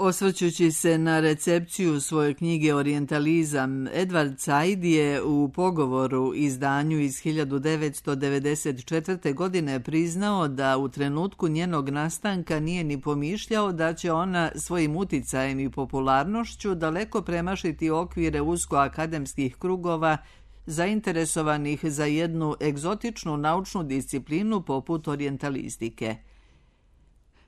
Osvrćući se na recepciju svoje knjige Orijentalizam, Edward Said je u pogovoru izdanju iz 1994. godine priznao da u trenutku njenog nastanka nije ni pomišljao da će ona svojim uticajem i popularnošću daleko premašiti okvire usko-akademskih krugova zainteresovanih za jednu egzotičnu naučnu disciplinu poput orijentalistike.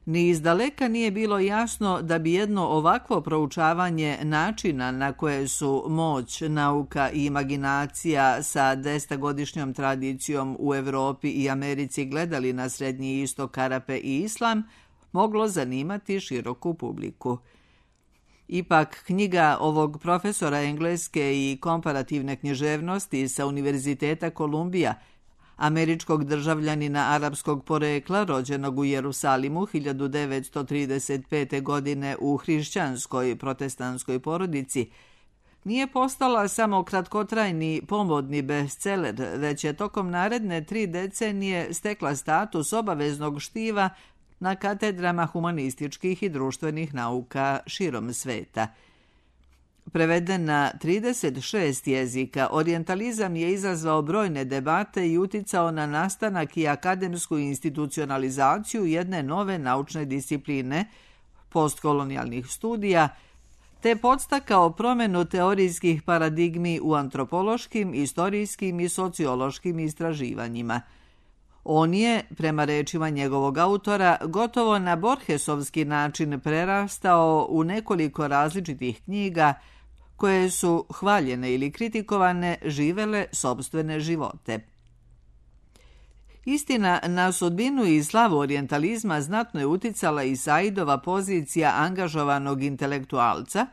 Ni izdaleka nije bilo jasno da bi jedno ovakvo proučavanje načina na koje su moć, nauka i imaginacija sa 10-godišnjom tradicijom u Europi i Americi gledali na Srednji istok, Arape i Islam, moglo zanimati široku publiku. Ipak, knjiga ovog profesora engleske i komparativne književnosti sa Univerziteta Kolumbija, američkog državljanina arapskog porekla rođenog u Jerusalimu 1935. godine u hrišćanskoj protestantskoj porodici, nije postala samo kratkotrajni pomodni bestseller, već je tokom naredne 3 decenije stekla status obaveznog štiva na katedrama humanističkih i društvenih nauka širom sveta. Preveden na 36 jezika, orijentalizam je izazvao brojne debate i uticao na nastanak i akademsku institucionalizaciju jedne nove naučne discipline, postkolonijalnih studija, te podstakao promjenu teorijskih paradigmi u antropološkim, istorijskim i sociološkim istraživanjima. On je, prema rečima njegovog autora, gotovo na Borgesovski način prerastao u nekoliko različitih knjiga koje su, hvaljene ili kritikovane, živele sopstvene živote. Istina, na sudbinu i slavu orijentalizma znatno je uticala i Saidova pozicija angažovanog intelektualca,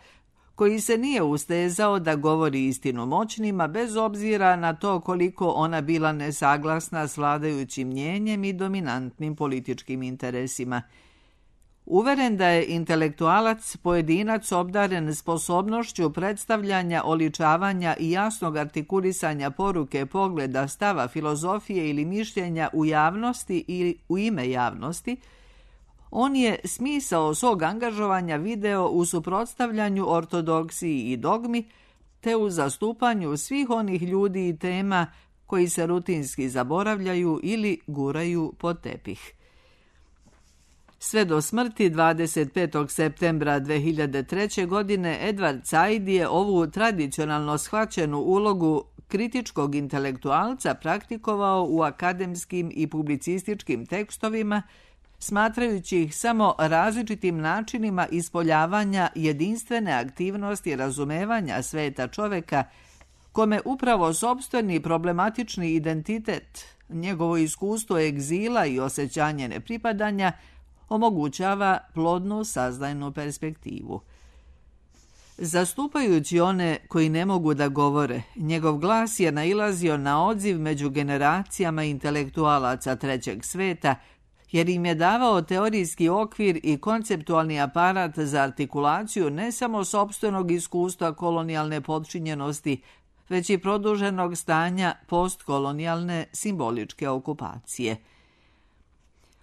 koji se nije ustezao da govori istinu moćnima, bez obzira na to koliko ona bila nesaglasna s vladajućim mnjenjem i dominantnim političkim interesima. Uveren da je intelektualac pojedinac obdaren sposobnošću predstavljanja, oličavanja i jasnog artikulisanja poruke, pogleda, stava, filozofije ili mišljenja u javnosti ili u ime javnosti, on je smisao svog angažovanja video u suprotstavljanju ortodoksiji i dogmi, te u zastupanju svih onih ljudi i tema koji se rutinski zaboravljaju ili guraju pod tepih. Sve do smrti 25. septembra 2003. godine Edward Said je ovu tradicionalno shvaćenu ulogu kritičkog intelektualca praktikovao u akademskim i publicističkim tekstovima, smatrajući ih samo različitim načinima ispoljavanja jedinstvene aktivnosti razumevanja sveta čoveka, kome upravo sopstveni problematični identitet, njegovo iskustvo egzila i osjećanje nepripadanja omogućava plodnu saznajnu perspektivu. Zastupajući one koji ne mogu da govore, njegov glas je nailazio na odziv među generacijama intelektualaca trećeg sveta, jer im je davao teorijski okvir i konceptualni aparat za artikulaciju ne samo sopstvenog iskustva kolonijalne potčinjenosti, već i produženog stanja postkolonijalne simboličke okupacije.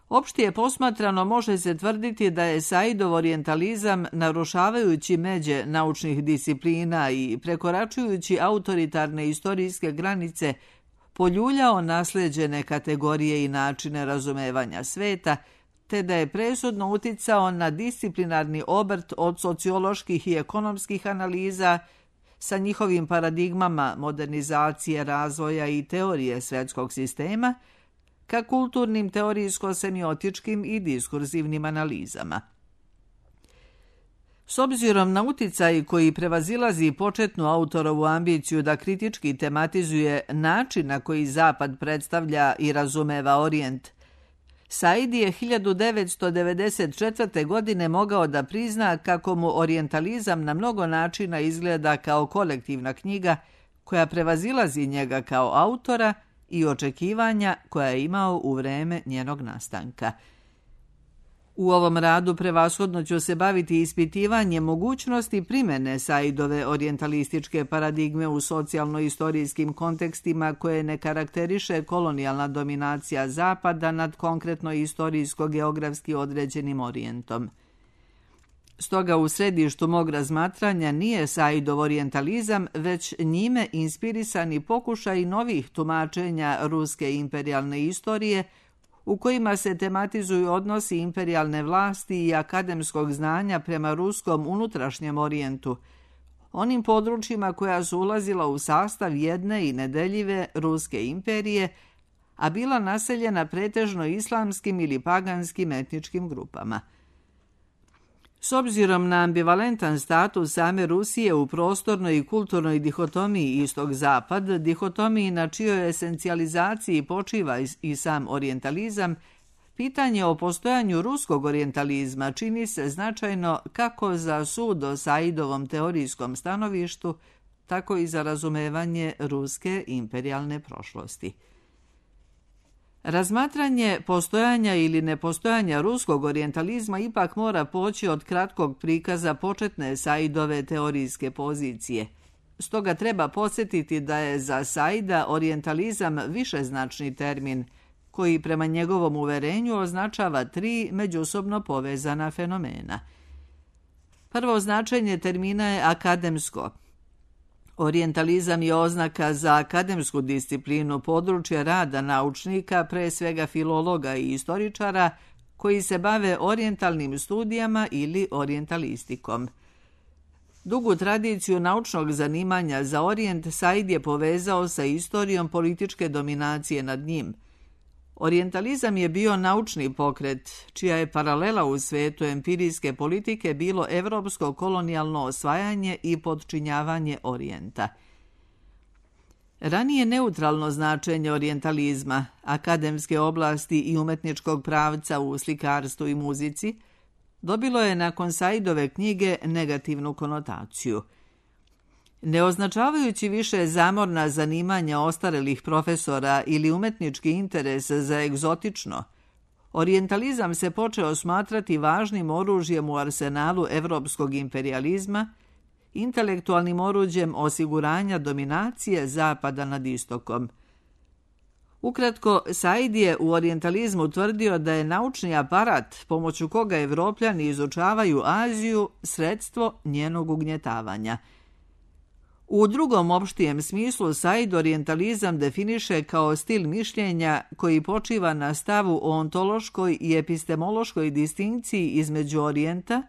Opštije posmatrano može se tvrditi da je Saidov orijentalizam, narušavajući međe naučnih disciplina i prekoračujući autoritarne istorijske granice, poljuljao nasleđene kategorije i načine razumevanja sveta, te da je presudno uticao na disciplinarni obrt od socioloških i ekonomskih analiza sa njihovim paradigmama modernizacije, razvoja i teorije svjetskog sistema, ka kulturnim, teorijsko-semiotičkim i diskurzivnim analizama. S obzirom na uticaj koji prevazilazi početnu autorovu ambiciju da kritički tematizuje način na koji Zapad predstavlja i razumeva Orijent, Said je 1994. godine mogao da prizna kako mu orijentalizam na mnogo načina izgleda kao kolektivna knjiga koja prevazilazi njega kao autora i očekivanja koja je imao u vreme njenog nastanka. U ovom radu prevashodno ću se baviti ispitivanjem mogućnosti primjene Saidove orijentalističke paradigme u socijalno-istorijskim kontekstima koje ne karakteriše kolonijalna dominacija Zapada nad konkretno istorijsko-geografski određenim Orijentom. Stoga u središtu mog razmatranja nije Saidov orijentalizam, već njime inspirisani pokušaj novih tumačenja ruske imperijalne istorije, u kojima se tematizuju odnosi imperijalne vlasti i akademskog znanja prema ruskom unutrašnjem orijentu, onim područjima koja su ulazila u sastav jedne i nedeljive ruske imperije, a bila naseljena pretežno islamskim ili paganskim etničkim grupama. S obzirom na ambivalentan status same Rusije u prostornoj i kulturnoj dihotomiji istok-zapad, dihotomiji na čijoj esencijalizaciji počiva i sam orijentalizam, pitanje o postojanju ruskog orijentalizma čini se značajno kako za sud o Saidovom teorijskom stanovištu, tako i za razumevanje ruske imperijalne prošlosti. Razmatranje postojanja ili nepostojanja ruskog orijentalizma ipak mora poći od kratkog prikaza početne Saidove teorijske pozicije. Stoga treba podsjetiti da je za Saida orijentalizam višeznačni termin, koji prema njegovom uverenju označava 3 međusobno povezana fenomena. Prvo značenje termina je akademsko. Orijentalizam je oznaka za akademsku disciplinu područja rada naučnika, pre svega filologa i istoričara, koji se bave orijentalnim studijama ili orijentalistikom. Dugu tradiciju naučnog zanimanja za orijent Said je povezao sa istorijom političke dominacije nad njim. Orijentalizam je bio naučni pokret, čija je paralela u svetu empirijske politike bilo evropsko kolonijalno osvajanje i podčinjavanje orijenta. Ranije neutralno značenje orijentalizma, akademske oblasti i umetničkog pravca u slikarstvu i muzici, dobilo je nakon Saidove knjige negativnu konotaciju. Ne označavajući više zamorna zanimanja ostarelih profesora ili umetnički interes za egzotično, orijentalizam se počeo smatrati važnim oružjem u arsenalu evropskog imperijalizma, intelektualnim oruđem osiguranja dominacije Zapada nad Istokom. Ukratko, Said je u orijentalizmu tvrdio da je naučni aparat pomoću koga Evropljani izučavaju Aziju sredstvo njenog ugnjetavanja. U drugom opštijem smislu Said orijentalizam definiše kao stil mišljenja koji počiva na stavu o ontološkoj i epistemološkoj distinkciji između orijenta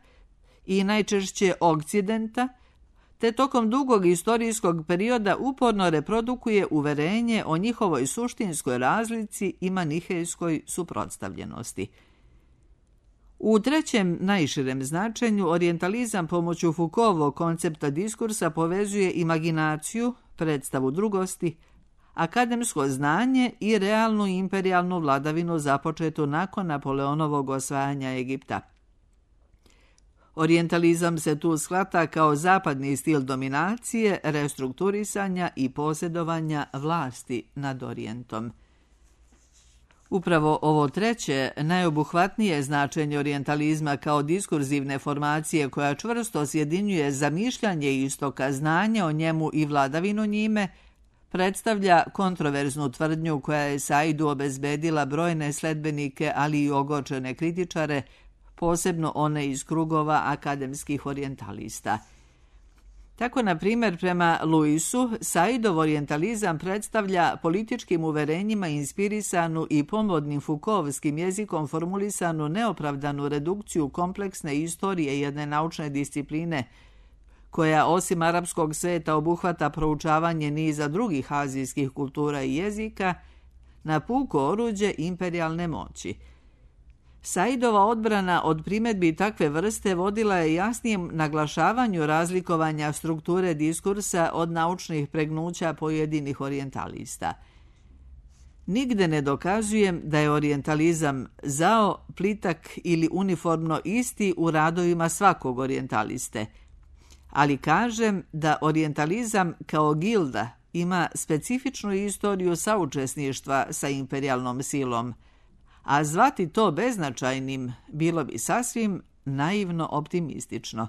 i najčešće okcidenta, te tokom dugog istorijskog perioda uporno reprodukuje uverenje o njihovoj suštinskoj razlici i manihejskoj suprotstavljenosti. U trećem, najširem značenju, orijentalizam pomoću Foucaultovog koncepta diskursa povezuje imaginaciju, predstavu drugosti, akademsko znanje i realnu imperijalnu vladavinu započetu nakon Napoleonovog osvajanja Egipta. Orijentalizam se tu shvata kao zapadni stil dominacije, restrukturisanja i posjedovanja vlasti nad orijentom. Upravo ovo treće, najobuhvatnije značenje orijentalizma kao diskurzivne formacije koja čvrsto sjedinjuje zamišljanje istoka, znanje o njemu i vladavinu njime, predstavlja kontroverznu tvrdnju koja je Saidu obezbedila brojne sledbenike, ali i ogorčene kritičare, posebno one iz krugova akademskih orijentalista. Tako, na primjer, prema Luisu, Saidov orijentalizam predstavlja političkim uverenjima inspirisanu i pomodnim Foucaultovskim jezikom formulisanu neopravdanu redukciju kompleksne istorije jedne naučne discipline, koja osim arapskog sveta obuhvata proučavanje niza drugih azijskih kultura i jezika, na puko oruđe imperijalne moći. Saidova odbrana od primjedbi takve vrste vodila je jasnijem naglašavanju razlikovanja strukture diskursa od naučnih pregnuća pojedinih orijentalista. Nigde ne dokazujem da je orijentalizam zao, plitak ili uniformno isti u radovima svakog orijentaliste, ali kažem da orijentalizam kao gilda ima specifičnu istoriju saučesništva sa imperijalnom silom, a zvati to beznačajnim bilo bi sasvim naivno optimistično.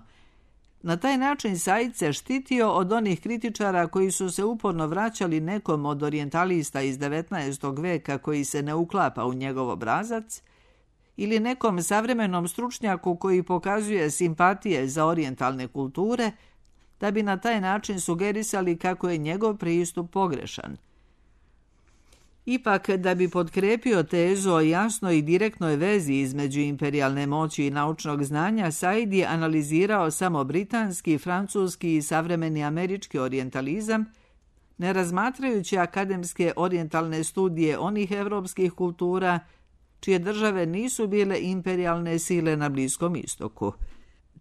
Na taj način Said se štitio od onih kritičara koji su se uporno vraćali nekom od orijentalista iz 19. veka koji se ne uklapa u njegov obrazac ili nekom savremenom stručnjaku koji pokazuje simpatije za orijentalne kulture, da bi na taj način sugerisali kako je njegov pristup pogrešan. Ipak, da bi potkrepio tezu o jasnoj i direktnoj vezi između imperijalne moći i naučnog znanja, Said je analizirao samo britanski, francuski i savremeni američki orijentalizam, ne razmatrajući akademske orijentalne studije onih evropskih kultura čije države nisu bile imperijalne sile na Bliskom istoku.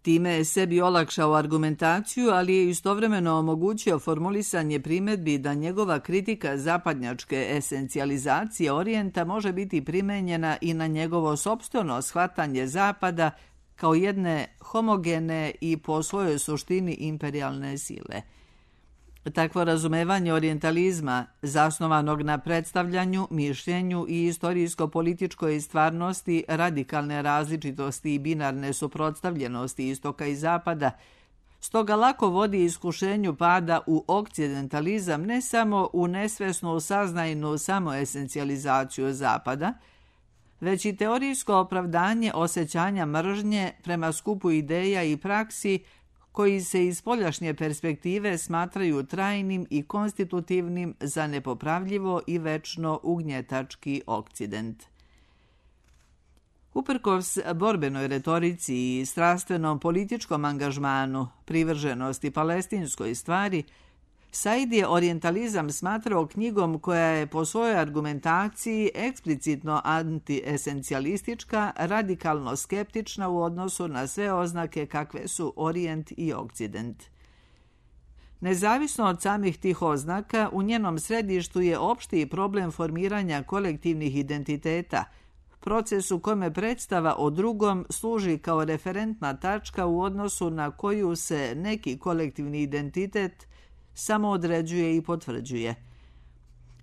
Time je sebi olakšao argumentaciju, ali je istovremeno omogućio formulisanje primjedbi da njegova kritika zapadnjačke esencijalizacije orijenta može biti primenjena i na njegovo sopstveno shvatanje Zapada kao jedne homogene i po svojoj suštini imperijalne sile. Takvo razumevanje orijentalizma, zasnovanog na predstavljanju, mišljenju i istorijsko-političkoj stvarnosti radikalne različitosti i binarne suprotstavljenosti istoka i zapada, stoga lako vodi iskušenju pada u okcidentalizam ne samo u nesvesnu saznajnu samoesencijalizaciju zapada, već i teorijsko opravdanje osjećanja mržnje prema skupu ideja i praksi koji se iz spoljašnje perspektive smatraju trajnim i konstitutivnim za nepopravljivo i večno ugnjetački Okcident. Uprkos borbenoj retorici i strastvenom političkom angažmanu, privrženosti palestinskoj stvari, Said je orijentalizam smatrao knjigom koja je po svojoj argumentaciji eksplicitno antiesencijalistička, radikalno skeptična u odnosu na sve oznake kakve su Orijent i Okcident. Nezavisno od samih tih oznaka, u njenom središtu je opšti problem formiranja kolektivnih identiteta, proces u kome predstava o drugom služi kao referentna tačka u odnosu na koju se neki kolektivni identitet samo određuje i potvrđuje.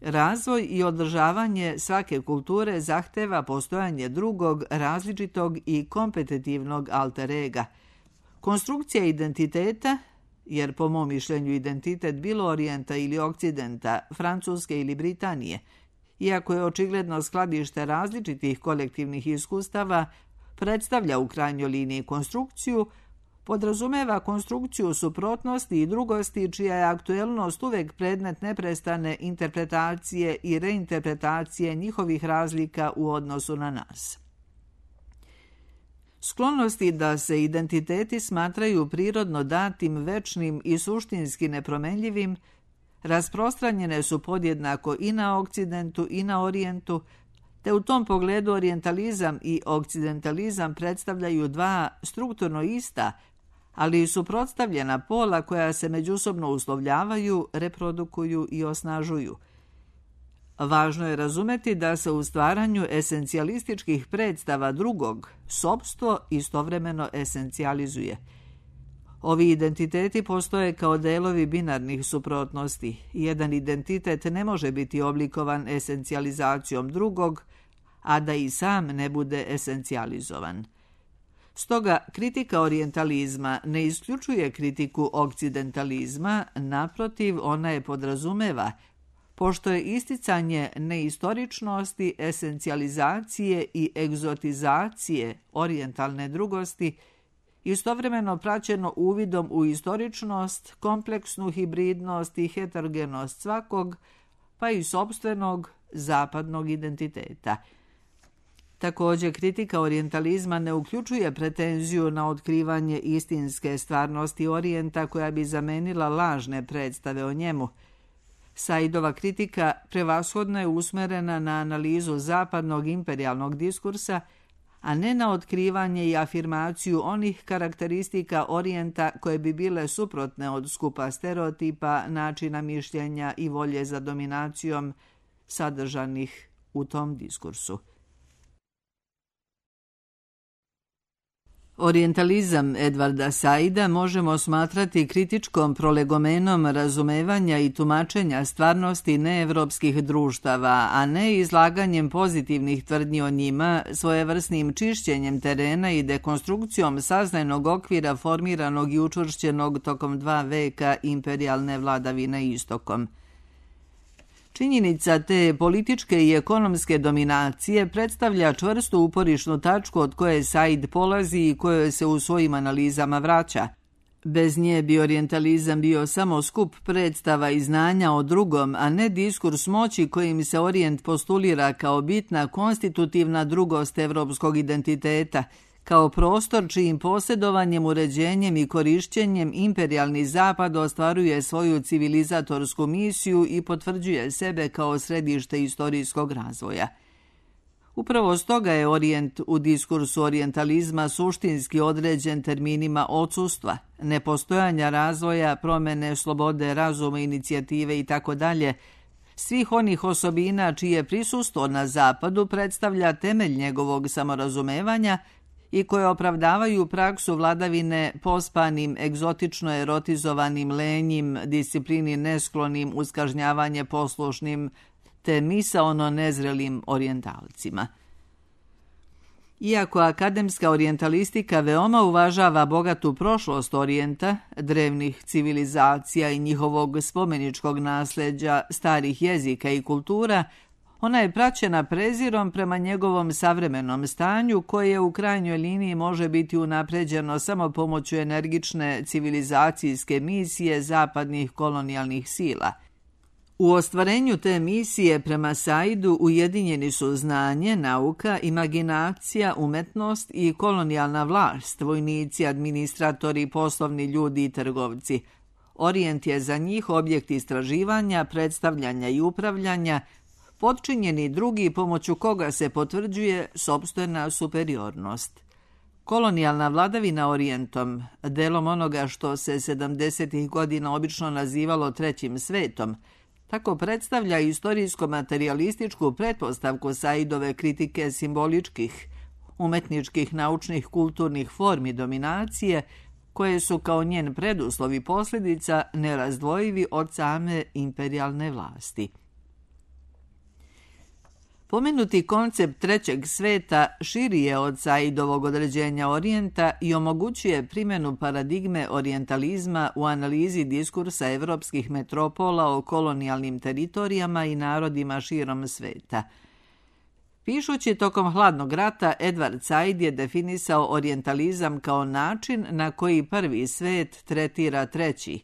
Razvoj i održavanje svake kulture zahteva postojanje drugog, različitog i kompetitivnog alter ega. Konstrukcija identiteta, jer po mom mišljenju identitet bilo Orijenta ili Okcidenta, Francuske ili Britanije, iako je očigledno skladište različitih kolektivnih iskustava, predstavlja u krajnjoj liniji konstrukciju, podrazumeva konstrukciju suprotnosti i drugosti čija je aktuelnost uvek predmet neprestane interpretacije i reinterpretacije njihovih razlika u odnosu na nas. Sklonosti da se identiteti smatraju prirodno datim, večnim i suštinski nepromenljivim rasprostranjene su podjednako i na Okcidentu i na Orijentu, te u tom pogledu orijentalizam i okcidentalizam predstavljaju dva strukturno ista, ali i suprotstavljena pola koja se međusobno uslovljavaju, reprodukuju i osnažuju. Važno je razumeti da se u stvaranju esencijalističkih predstava drugog sopstvo istovremeno esencijalizuje. Ovi identiteti postoje kao delovi binarnih suprotnosti. Jedan identitet ne može biti oblikovan esencijalizacijom drugog, a da i sam ne bude esencijalizovan. Stoga, kritika orijentalizma ne isključuje kritiku okcidentalizma, naprotiv, ona je podrazumeva, pošto je isticanje neistoričnosti, esencijalizacije i egzotizacije orijentalne drugosti istovremeno praćeno uvidom u istoričnost, kompleksnu hibridnost i heterogenost svakog, pa i sopstvenog zapadnog identiteta. Također, kritika orijentalizma ne uključuje pretenziju na otkrivanje istinske stvarnosti Orijenta koja bi zamenila lažne predstave o njemu. Saidova kritika prevashodno je usmerena na analizu zapadnog imperijalnog diskursa, a ne na otkrivanje i afirmaciju onih karakteristika Orijenta koje bi bile suprotne od skupa stereotipa, načina mišljenja i volje za dominacijom sadržanih u tom diskursu. Orijentalizam Edvarda Saida možemo smatrati kritičkom prolegomenom razumevanja i tumačenja stvarnosti neevropskih društava, a ne izlaganjem pozitivnih tvrdnji o njima, svojevrsnim čišćenjem terena i dekonstrukcijom saznajnog okvira formiranog i učvršćenog tokom 2 veka imperijalne vladavine istokom. Činjenica te političke i ekonomske dominacije predstavlja čvrstu uporišnu tačku od koje Said polazi i kojoj se u svojim analizama vraća. Bez nje bi orijentalizam bio samo skup predstava i znanja o drugom, a ne diskurs moći kojim se orijent postulira kao bitna konstitutivna drugost evropskog identiteta, kao prostor čijim posjedovanjem, uređenjem i korišćenjem imperijalni zapad ostvaruje svoju civilizatorsku misiju i potvrđuje sebe kao središte istorijskog razvoja. Upravo stoga je orijent u diskursu orijentalizma suštinski određen terminima odsustva, nepostojanja razvoja, promene, slobode, razuma, inicijative itd., svih onih osobina čije prisustvo na zapadu predstavlja temelj njegovog samorazumevanja i koje opravdavaju praksu vladavine pospanim, egzotično erotizovanim, lenjim, disciplini nesklonim, uz kažnjavanje poslušnim, te misaono nezrelim orijentalcima. Iako akademska orijentalistika veoma uvažava bogatu prošlost orijenta, drevnih civilizacija i njihovog spomeničkog nasljeđa, starih jezika i kultura, ona je praćena prezirom prema njegovom savremenom stanju koje u krajnjoj liniji može biti unapređeno samo pomoću energične civilizacijske misije zapadnih kolonijalnih sila. U ostvarenju te misije prema Saidu ujedinjeni su znanje, nauka, imaginacija, umetnost i kolonijalna vlast, vojnici, administratori, poslovni ljudi i trgovci. Orijent je za njih objekt istraživanja, predstavljanja i upravljanja, potčinjeni drugi pomoću koga se potvrđuje sopstvena superiornost. Kolonijalna vladavina orijentom, delom onoga što se 70. godina obično nazivalo trećim svetom, tako predstavlja istorijsko-materialističku pretpostavku Saidove kritike simboličkih, umetničkih, naučnih, kulturnih formi dominacije, koje su kao njen preduslov i posljedica nerazdvojivi od same imperijalne vlasti. Pomenuti koncept trećeg sveta širi je od Saidovog određenja orijenta i omogućuje primjenu paradigme orijentalizma u analizi diskursa evropskih metropola o kolonijalnim teritorijama i narodima širom sveta. Pišući tokom hladnog rata, Edward Said je definisao orijentalizam kao način na koji prvi svet tretira treći.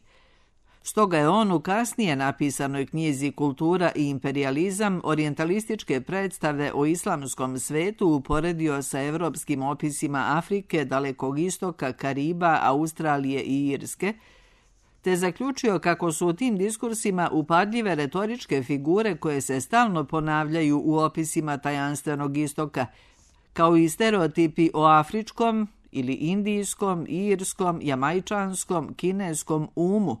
Stoga je on u kasnije napisanoj knjizi Kultura i imperijalizam orijentalističke predstave o islamskom svetu uporedio sa evropskim opisima Afrike, Dalekog istoka, Kariba, Australije i Irske, te zaključio kako su u tim diskursima upadljive retoričke figure koje se stalno ponavljaju u opisima tajanstvenog istoka, kao i stereotipi o afričkom ili indijskom, irskom, jamajčanskom, kineskom umu,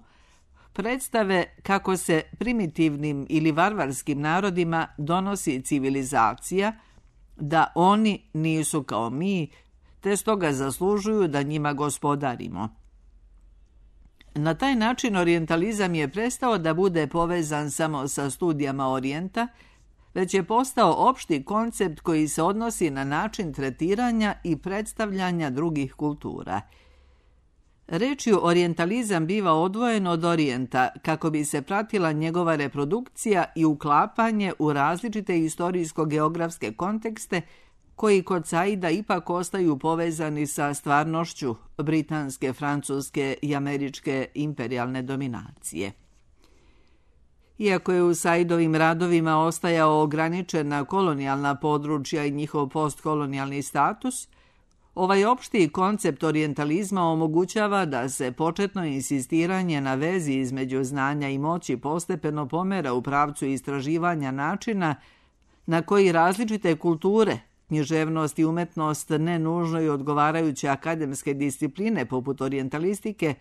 predstave kako se primitivnim ili varvarskim narodima donosi civilizacija, da oni nisu kao mi, te stoga zaslužuju da njima gospodarimo. Na taj način orijentalizam je prestao da bude povezan samo sa studijama orijenta, već je postao opšti koncept koji se odnosi na način tretiranja i predstavljanja drugih kultura. Rečju orijentalizam biva odvojen od orijenta kako bi se pratila njegova reprodukcija i uklapanje u različite istorijsko-geografske kontekste koji kod Saida ipak ostaju povezani sa stvarnošću britanske, francuske i američke imperijalne dominacije. Iako je u Saidovim radovima ostajao ograničen na kolonijalna područja i njihov postkolonijalni status, ovaj opšti koncept orijentalizma omogućava da se početno insistiranje na vezi između znanja i moći postepeno pomera u pravcu istraživanja načina na koji različite kulture, književnost i umetnost ne nužno i odgovarajuće akademske discipline poput orijentalistike,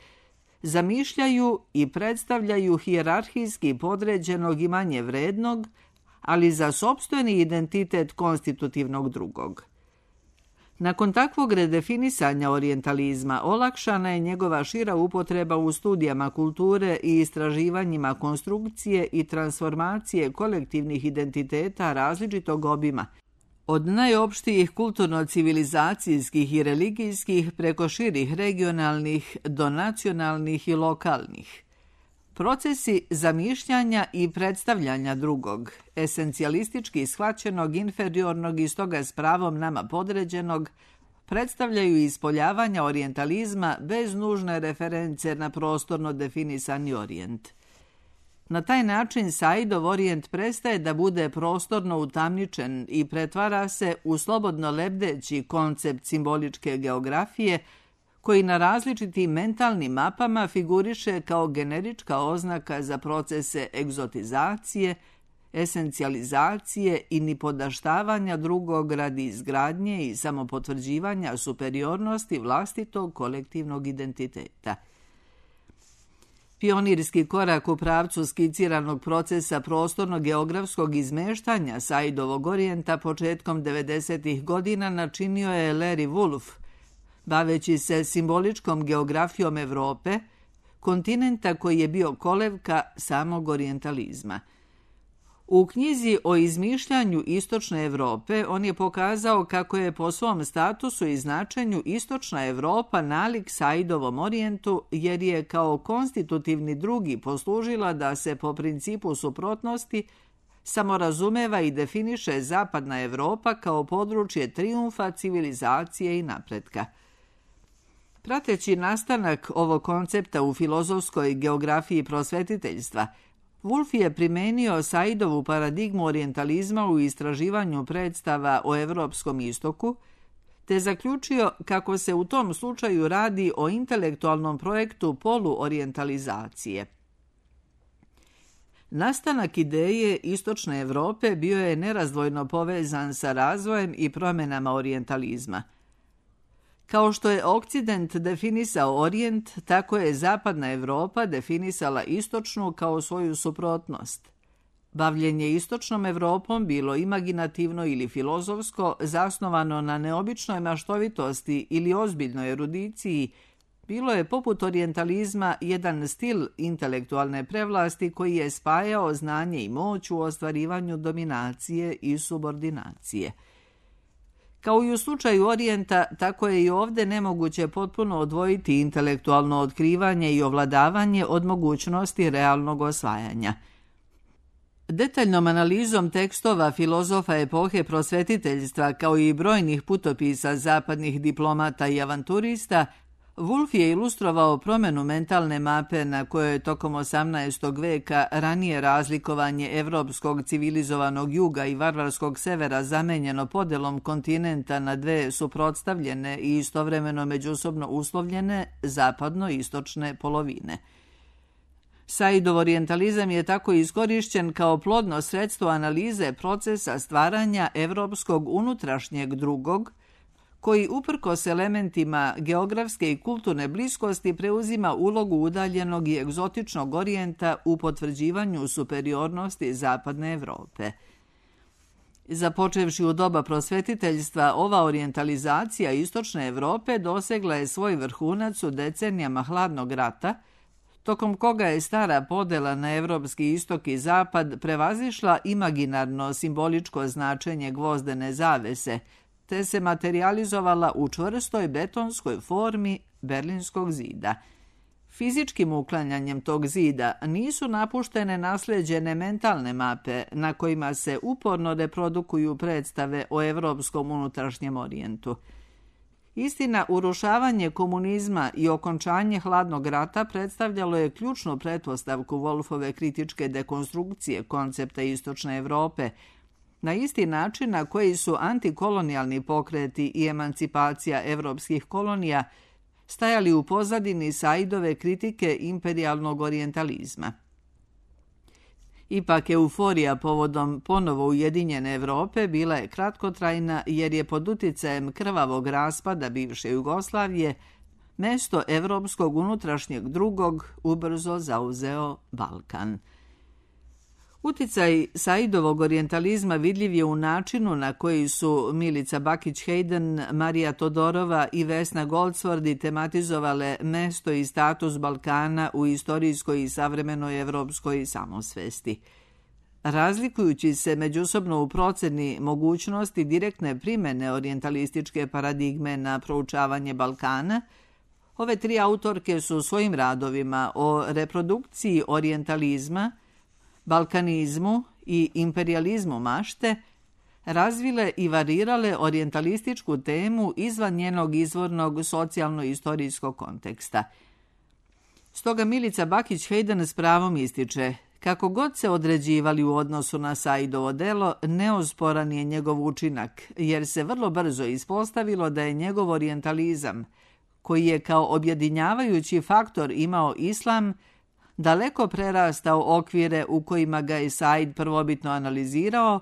zamišljaju i predstavljaju hijerarhijski podređenog i manje vrednog, ali za sopstveni identitet konstitutivnog drugog. Nakon takvog redefinisanja orijentalizma olakšana je njegova šira upotreba u studijama kulture i istraživanjima konstrukcije i transformacije kolektivnih identiteta različitog obima, od najopštijih kulturno-civilizacijskih i religijskih preko širih regionalnih do nacionalnih i lokalnih. Procesi zamišljanja i predstavljanja drugog, esencijalistički shvaćenog, inferiornog i stoga s pravom nama podređenog, predstavljaju ispoljavanja orijentalizma bez nužne reference na prostorno definisani orijent. Na taj način Saidov orijent prestaje da bude prostorno utamničen i pretvara se u slobodno lebdeći koncept simboličke geografije koji na različitim mentalnim mapama figuriše kao generička oznaka za procese egzotizacije, esencijalizacije i nipodaštavanja drugog radi izgradnje i samopotvrđivanja superiornosti vlastitog kolektivnog identiteta. Pionirski korak u pravcu skiciranog procesa prostorno-geografskog izmeštanja Saidovog orijenta početkom 90. godina načinio je Larry Wolff, baveći se simboličkom geografijom Evrope, kontinenta koji je bio kolevka samog orijentalizma. U knjizi o izmišljanju istočne Evrope on je pokazao kako je po svom statusu i značenju istočna Evropa nalik Saidovom orijentu jer je kao konstitutivni drugi poslužila da se po principu suprotnosti samorazumeva i definiše zapadna Evropa kao područje trijumfa, civilizacije i napretka. Prateći nastanak ovog koncepta u filozofskoj geografiji prosvetiteljstva, Wolff je primenio Saidovu paradigmu orijentalizma u istraživanju predstava o Evropskom istoku, te zaključio kako se u tom slučaju radi o intelektualnom projektu poluorijentalizacije. Nastanak ideje istočne Evrope bio je nerazdvojno povezan sa razvojem i promjenama orijentalizma. Kao što je Okcident definisao orijent, tako je zapadna Evropa definisala istočnu kao svoju suprotnost. Bavljenje istočnom Evropom bilo imaginativno ili filozofsko, zasnovano na neobičnoj maštovitosti ili ozbiljnoj erudiciji, bilo je poput orijentalizma jedan stil intelektualne prevlasti koji je spajao znanje i moć u ostvarivanju dominacije i subordinacije. Kao i u slučaju orijenta, tako je i ovdje nemoguće potpuno odvojiti intelektualno otkrivanje i ovladavanje od mogućnosti realnog osvajanja. Detaljnom analizom tekstova filozofa epohe prosvetiteljstva kao i brojnih putopisa zapadnih diplomata i avanturista, Wolff je ilustrovao promjenu mentalne mape na kojoj je tokom 18. veka ranije razlikovanje evropskog civilizovanog juga i varvarskog severa zamenjeno podelom kontinenta na dve suprotstavljene i istovremeno međusobno uslovljene zapadno-istočne polovine. Saidov orijentalizam je tako iskorišćen kao plodno sredstvo analize procesa stvaranja evropskog unutrašnjeg drugog, koji uprkos elementima geografske i kulturne bliskosti preuzima ulogu udaljenog i egzotičnog orijenta u potvrđivanju superiornosti zapadne Evrope. Započevši u doba prosvetiteljstva, ova orijentalizacija istočne Evrope dosegla je svoj vrhunac u decenijama hladnog rata, tokom koga je stara podela na evropski istok i zapad prevazišla imaginarno simboličko značenje gvozdene zavese, te se materializovala u čvrstoj betonskoj formi Berlinskog zida. Fizičkim uklanjanjem tog zida nisu napuštene nasleđene mentalne mape na kojima se uporno reprodukuju predstave o evropskom unutrašnjem orijentu. Istina, urušavanje komunizma i okončanje hladnog rata predstavljalo je ključnu pretpostavku Wolffove kritičke dekonstrukcije koncepta istočne Evrope, na isti način na koji su antikolonijalni pokreti i emancipacija evropskih kolonija stajali u pozadini Saidove kritike imperijalnog orijentalizma. Ipak euforija povodom ponovo ujedinjene Evrope bila je kratkotrajna jer je pod uticajem krvavog raspada bivše Jugoslavije mesto evropskog unutrašnjeg drugog ubrzo zauzeo Balkan. Uticaj Saidovog orijentalizma vidljiv je u načinu na koji su Milica Bakić-Hayden, Marija Todorova i Vesna Goldsworthy tematizovale mesto i status Balkana u istorijskoj i savremenoj evropskoj samosvesti. Razlikujući se međusobno u proceni mogućnosti direktne primjene orijentalističke paradigme na proučavanje Balkana, Ove tri autorke su u svojim radovima o reprodukciji orijentalizma, balkanizmu i imperijalizmu mašte razvile i varirale orijentalističku temu izvan njenog izvornog socijalno-istorijskog konteksta. Stoga Milica Bakić-Hayden s pravom ističe: kako god se određivali u odnosu na Saidovo delo, neosporan je njegov učinak, jer se vrlo brzo ispostavilo da je njegov orijentalizam, koji je kao objedinjavajući faktor imao islam, daleko prerastao okvire u kojima ga je Said prvobitno analizirao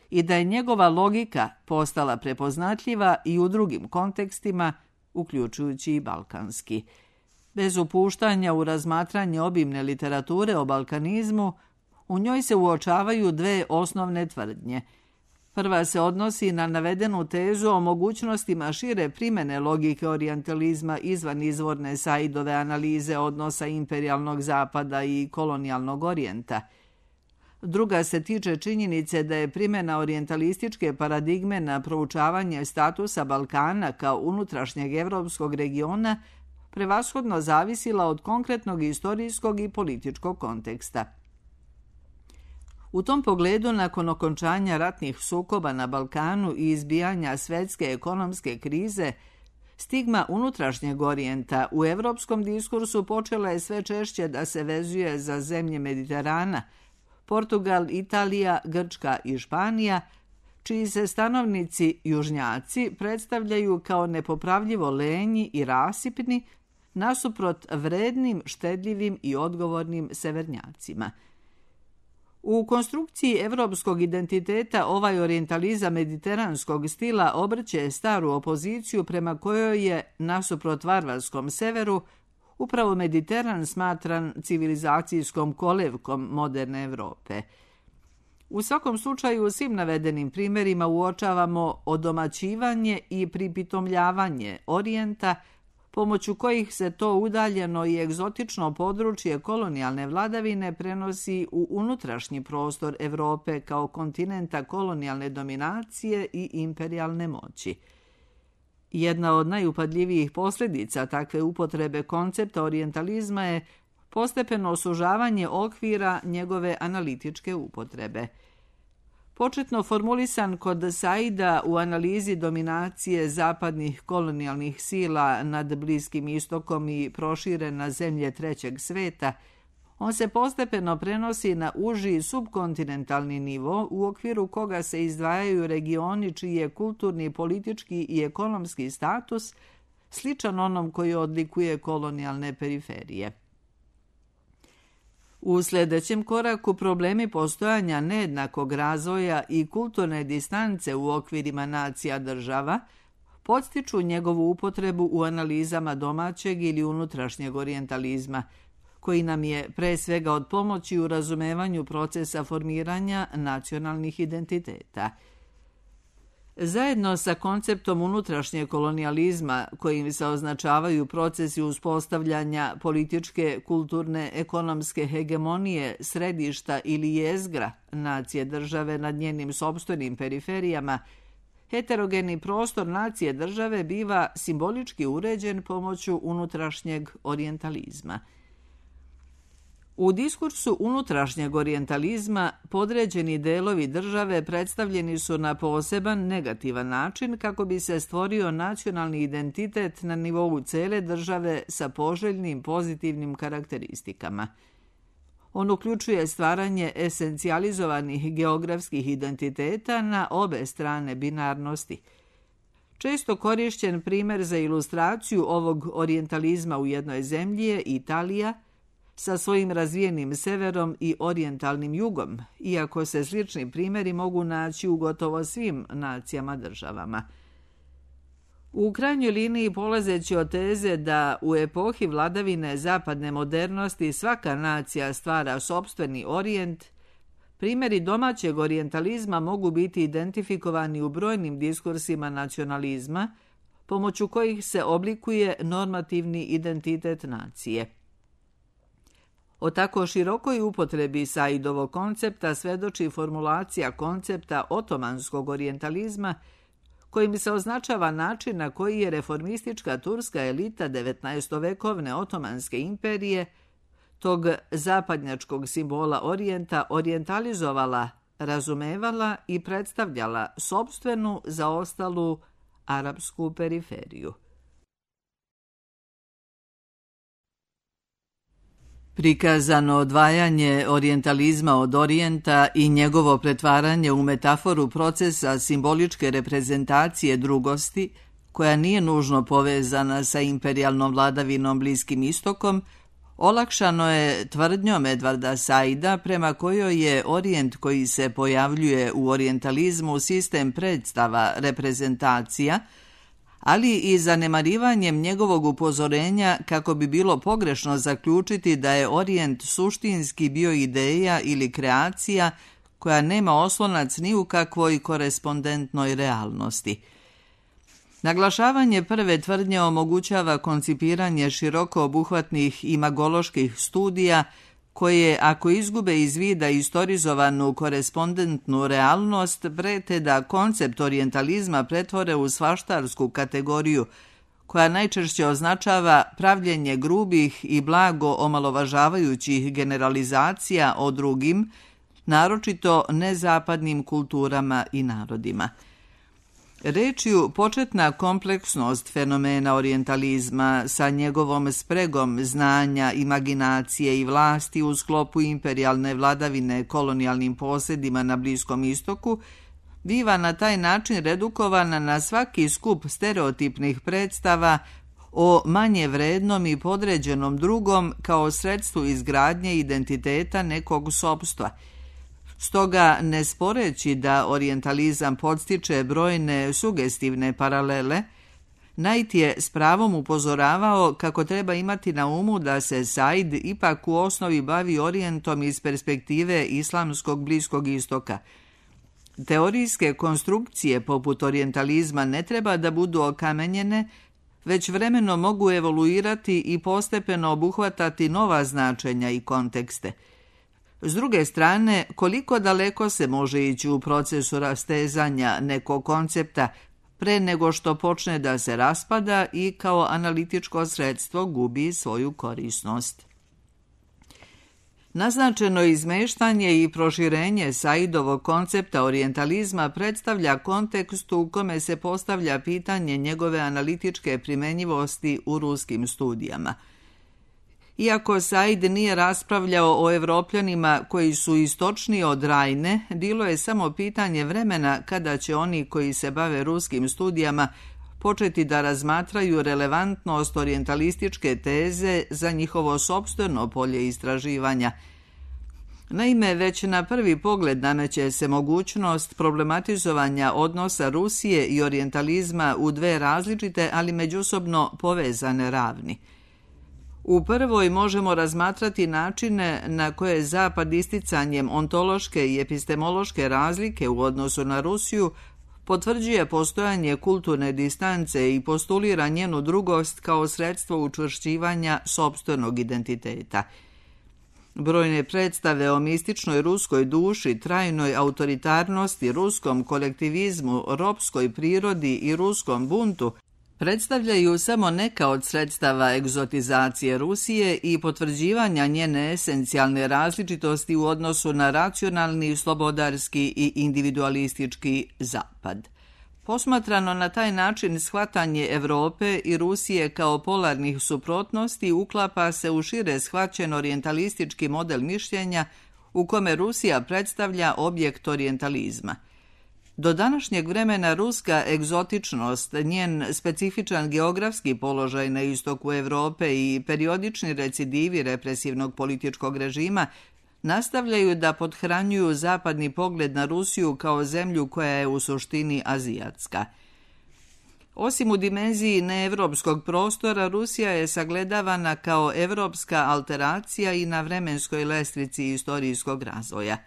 i da je njegova logika postala prepoznatljiva i u drugim kontekstima, uključujući i balkanski. Bez upuštanja u razmatranje obimne literature o balkanizmu, u njoj se uočavaju dve osnovne tvrdnje. Prva se odnosi na navedenu tezu o mogućnostima šire primjene logike orijentalizma izvan izvorne Saidove analize odnosa imperijalnog zapada i kolonijalnog orijenta. Druga se tiče činjenice da je primjena orijentalističke paradigme na proučavanje statusa Balkana kao unutrašnjeg evropskog regiona prevashodno zavisila od konkretnog istorijskog i političkog konteksta. U tom pogledu, nakon okončanja ratnih sukoba na Balkanu i izbijanja svetske ekonomske krize, stigma unutrašnjeg orijenta u evropskom diskursu počela je sve češće da se vezuje za zemlje Mediterana, Portugal, Italija, Grčka i Španija, čiji se stanovnici južnjaci predstavljaju kao nepopravljivo lenji i rasipni, nasuprot vrednim, štedljivim i odgovornim severnjacima. U konstrukciji evropskog identiteta ovaj orijentalizam mediteranskog stila obrće staru opoziciju prema kojoj je, nasuprot varvarskom severu, upravo Mediteran smatran civilizacijskom kolevkom moderne Evrope. U svakom slučaju, u svim navedenim primjerima uočavamo odomaćivanje i pripitomljavanje orijenta, pomoću kojih se to udaljeno i egzotično područje kolonijalne vladavine prenosi u unutrašnji prostor Evrope kao kontinenta kolonijalne dominacije i imperijalne moći. Jedna od najupadljivijih posljedica takve upotrebe koncepta orijentalizma je postepeno sužavanje okvira njegove analitičke upotrebe. Početno formulisan kod Saida u analizi dominacije zapadnih kolonijalnih sila nad Bliskim istokom i proširen na zemlje trećeg sveta, on se postepeno prenosi na uži subkontinentalni nivo u okviru koga se izdvajaju regioni čiji je kulturni, politički i ekonomski status sličan onom koji odlikuje kolonijalne periferije. U sljedećem koraku problemi postojanja nejednakog razvoja i kulturne distance u okvirima nacija država podstiču njegovu upotrebu u analizama domaćeg ili unutrašnjeg orijentalizma, koji nam je pre svega od pomoći u razumevanju procesa formiranja nacionalnih identiteta. Zajedno sa konceptom unutrašnjeg kolonijalizma, kojim se označavaju procesi uspostavljanja političke, kulturne, ekonomske hegemonije, središta ili jezgra nacije države nad njenim sopstvenim periferijama, heterogeni prostor nacije države biva simbolički uređen pomoću unutrašnjeg orijentalizma. U diskursu unutrašnjeg orijentalizma podređeni delovi države predstavljeni su na poseban negativan način kako bi se stvorio nacionalni identitet na nivou cele države sa poželjnim pozitivnim karakteristikama. On uključuje stvaranje esencijalizovanih geografskih identiteta na obe strane binarnosti. Često korišćen primjer za ilustraciju ovog orijentalizma u jednoj zemlji je Italija, sa svojim razvijenim severom i orijentalnim jugom, iako se slični primjeri mogu naći u gotovo svim nacijama državama. U krajnjoj liniji, polazeći od teze da u epohi vladavine zapadne modernosti svaka nacija stvara sopstveni orijent, primjeri domaćeg orijentalizma mogu biti identifikovani u brojnim diskursima nacionalizma, pomoću kojih se oblikuje normativni identitet nacije. O tako širokoj upotrebi Saidovog koncepta svedoči formulacija koncepta otomanskog orijentalizma, kojim se označava način na koji je reformistička turska elita 19-vekovne Otomanske imperije, tog zapadnjačkog simbola Orijenta, orijentalizovala, razumevala i predstavljala sopstvenu zaostalu arapsku periferiju. Prikazano odvajanje orijentalizma od Orijenta i njegovo pretvaranje u metaforu procesa simboličke reprezentacije drugosti, koja nije nužno povezana sa imperijalnom vladavinom Bliskim istokom, olakšano je tvrdnjom Edvarda Saida prema kojoj je Orijent koji se pojavljuje u orijentalizmu sistem predstava, reprezentacija, ali i zanemarivanjem njegovog upozorenja kako bi bilo pogrešno zaključiti da je Orijent suštinski bio ideja ili kreacija koja nema oslonac ni u kakvoj korespondentnoj realnosti. Naglašavanje prve tvrdnje omogućava koncipiranje široko obuhvatnih imagoloških studija koje, ako izgube iz vida istorizovanu korespondentnu realnost, prete da koncept orijentalizma pretvore u svaštarsku kategoriju, koja najčešće označava pravljenje grubih i blago omalovažavajućih generalizacija o drugim, naročito nezapadnim kulturama i narodima. Rečju početna kompleksnost fenomena orijentalizma sa njegovom spregom znanja, imaginacije i vlasti u sklopu imperijalne vladavine kolonijalnim posjedima na Bliskom istoku biva na taj način redukovana na svaki skup stereotipnih predstava o manje vrednom i podređenom drugom kao sredstvu izgradnje identiteta nekog sopstva. Stoga, ne sporeći da orijentalizam podstiče brojne sugestivne paralele, Knight je s pravom upozoravao kako treba imati na umu da se Said ipak u osnovi bavi Orijentom iz perspektive islamskog Bliskog istoka. Teorijske konstrukcije poput orijentalizma ne treba da budu okamenjene, već vremeno mogu evoluirati i postepeno obuhvatati nova značenja i kontekste. S druge strane, koliko daleko se može ići u procesu rastezanja nekog koncepta pre nego što počne da se raspada i kao analitičko sredstvo gubi svoju korisnost. Naznačeno izmeštanje i proširenje Saidovog koncepta orijentalizma predstavlja kontekst u kome se postavlja pitanje njegove analitičke primenjivosti u ruskim studijama. Iako Said nije raspravljao o Evropljanima koji su istočniji od Rajne, bilo je samo pitanje vremena kada će oni koji se bave ruskim studijama početi da razmatraju relevantnost orijentalističke teze za njihovo sopstveno polje istraživanja. Naime, već na prvi pogled nameće se mogućnost problematizovanja odnosa Rusije i orijentalizma u dve različite, ali međusobno povezane ravni. U prvoj možemo razmatrati načine na koje Zapad isticanjem ontološke i epistemološke razlike u odnosu na Rusiju potvrđuje postojanje kulturne distance i postulira njenu drugost kao sredstvo učvršćivanja sopstvenog identiteta. Brojne predstave o mističnoj ruskoj duši, trajnoj autoritarnosti, ruskom kolektivizmu, ropskoj prirodi i ruskom buntu predstavljaju samo neka od sredstava egzotizacije Rusije i potvrđivanja njene esencijalne različitosti u odnosu na racionalni, slobodarski i individualistički Zapad. Posmatrano na taj način, shvatanje Evrope i Rusije kao polarnih suprotnosti uklapa se u šire shvaćen orijentalistički model mišljenja u kome Rusija predstavlja objekt orijentalizma. Do današnjeg vremena ruska egzotičnost, njen specifičan geografski položaj na istoku Evrope i periodični recidivi represivnog političkog režima nastavljaju da pothranjuju zapadni pogled na Rusiju kao zemlju koja je u suštini azijatska. Osim u dimenziji neevropskog prostora, Rusija je sagledavana kao evropska alteracija i na vremenskoj lestvici istorijskog razvoja.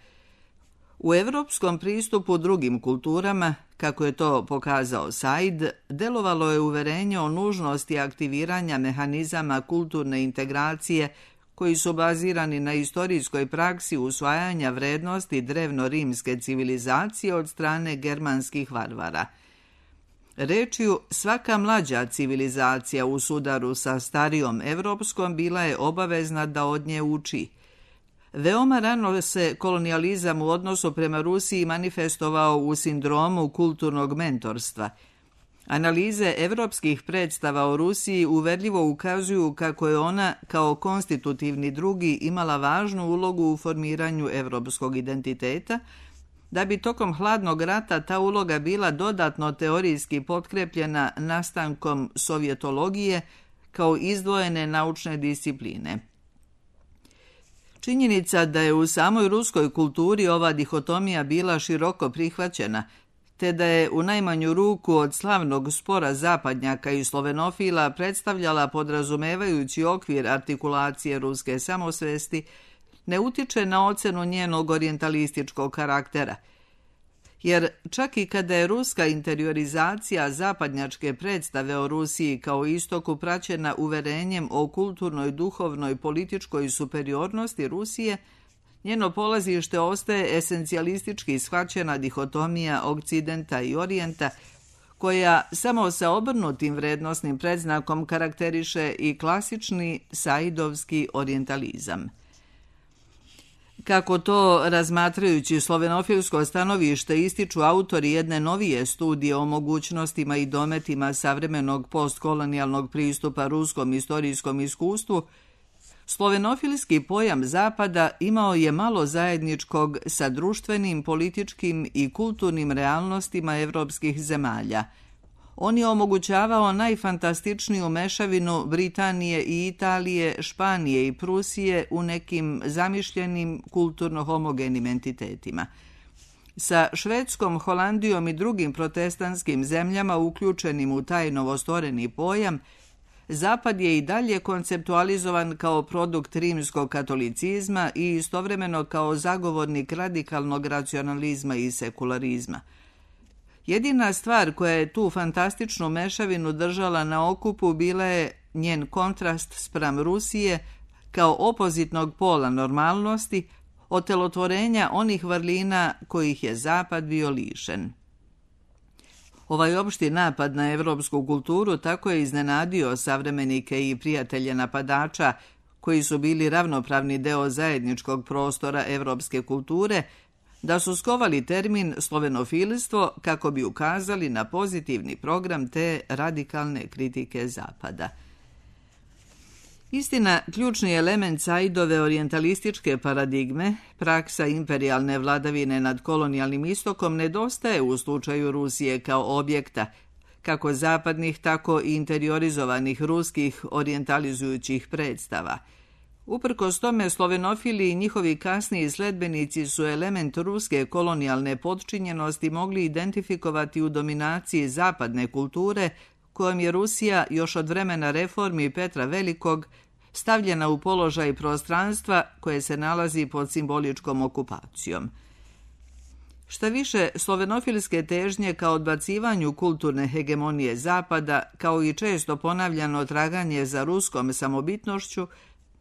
U evropskom pristupu drugim kulturama, kako je to pokazao Said, delovalo je uverenje o nužnosti aktiviranja mehanizama kulturne integracije koji su bazirani na istorijskoj praksi usvajanja vrednosti drevno-rimske civilizacije od strane germanskih varvara. Rečju, svaka mlađa civilizacija u sudaru sa starijom evropskom bila je obavezna da od nje uči. Veoma rano se kolonijalizam u odnosu prema Rusiji manifestovao u sindromu kulturnog mentorstva. Analize evropskih predstava o Rusiji uverljivo ukazuju kako je ona kao konstitutivni drugi imala važnu ulogu u formiranju evropskog identiteta, da bi tokom hladnog rata ta uloga bila dodatno teorijski potkrepljena nastankom sovjetologije kao izdvojene naučne discipline. Činjenica da je u samoj ruskoj kulturi ova dihotomija bila široko prihvaćena, te da je u najmanju ruku od slavnog spora zapadnjaka i slovenofila predstavljala podrazumevajući okvir artikulacije ruske samosvesti, ne utiče na ocenu njenog orijentalističkog karaktera. Jer čak i kada je ruska interiorizacija zapadnjačke predstave o Rusiji kao istoku praćena uverenjem o kulturnoj, duhovnoj, političkoj superiornosti Rusije, njeno polazište ostaje esencijalistički shvaćena dihotomija Okcidenta i Orijenta, koja samo sa obrnutim vrednosnim predznakom karakteriše i klasični saidovski orijentalizam. Kako to, razmatrajući slovenofilsko stanovište, ističu autori jedne novije studije o mogućnostima i dometima savremenog postkolonijalnog pristupa ruskom istorijskom iskustvu, slovenofilski pojam Zapada imao je malo zajedničkog sa društvenim, političkim i kulturnim realnostima evropskih zemalja. On je omogućavao najfantastičniju mešavinu Britanije i Italije, Španije i Prusije u nekim zamišljenim kulturno-homogenim entitetima. Sa Švedskom, Holandijom i drugim protestantskim zemljama uključenim u taj novostvoreni pojam, Zapad je i dalje konceptualizovan kao produkt rimskog katolicizma i istovremeno kao zagovornik radikalnog racionalizma i sekularizma. Jedina stvar koja je tu fantastičnu mešavinu držala na okupu bila je njen kontrast spram Rusije kao opozitnog pola normalnosti, otelotvorenja onih vrlina kojih je Zapad bio lišen. Ovaj opšti napad na evropsku kulturu tako je iznenadio savremenike i prijatelje napadača, koji su bili ravnopravni deo zajedničkog prostora evropske kulture, da su skovali termin slovenofilstvo kako bi ukazali na pozitivni program te radikalne kritike Zapada. Istina, ključni element Saidove orijentalističke paradigme, praksa imperijalne vladavine nad kolonijalnim istokom, nedostaje u slučaju Rusije kao objekta, kako zapadnih, tako i interiorizovanih ruskih orijentalizujućih predstava. Uprkos tome, slovenofili i njihovi kasniji sledbenici su element ruske kolonijalne potčinjenosti mogli identifikovati u dominaciji zapadne kulture, kojom je Rusija još od vremena reformi Petra Velikog stavljena u položaj prostranstva koje se nalazi pod simboličkom okupacijom. Šta više, slovenofilske težnje ka odbacivanju kulturne hegemonije Zapada, kao i često ponavljano traganje za ruskom samobitnošću,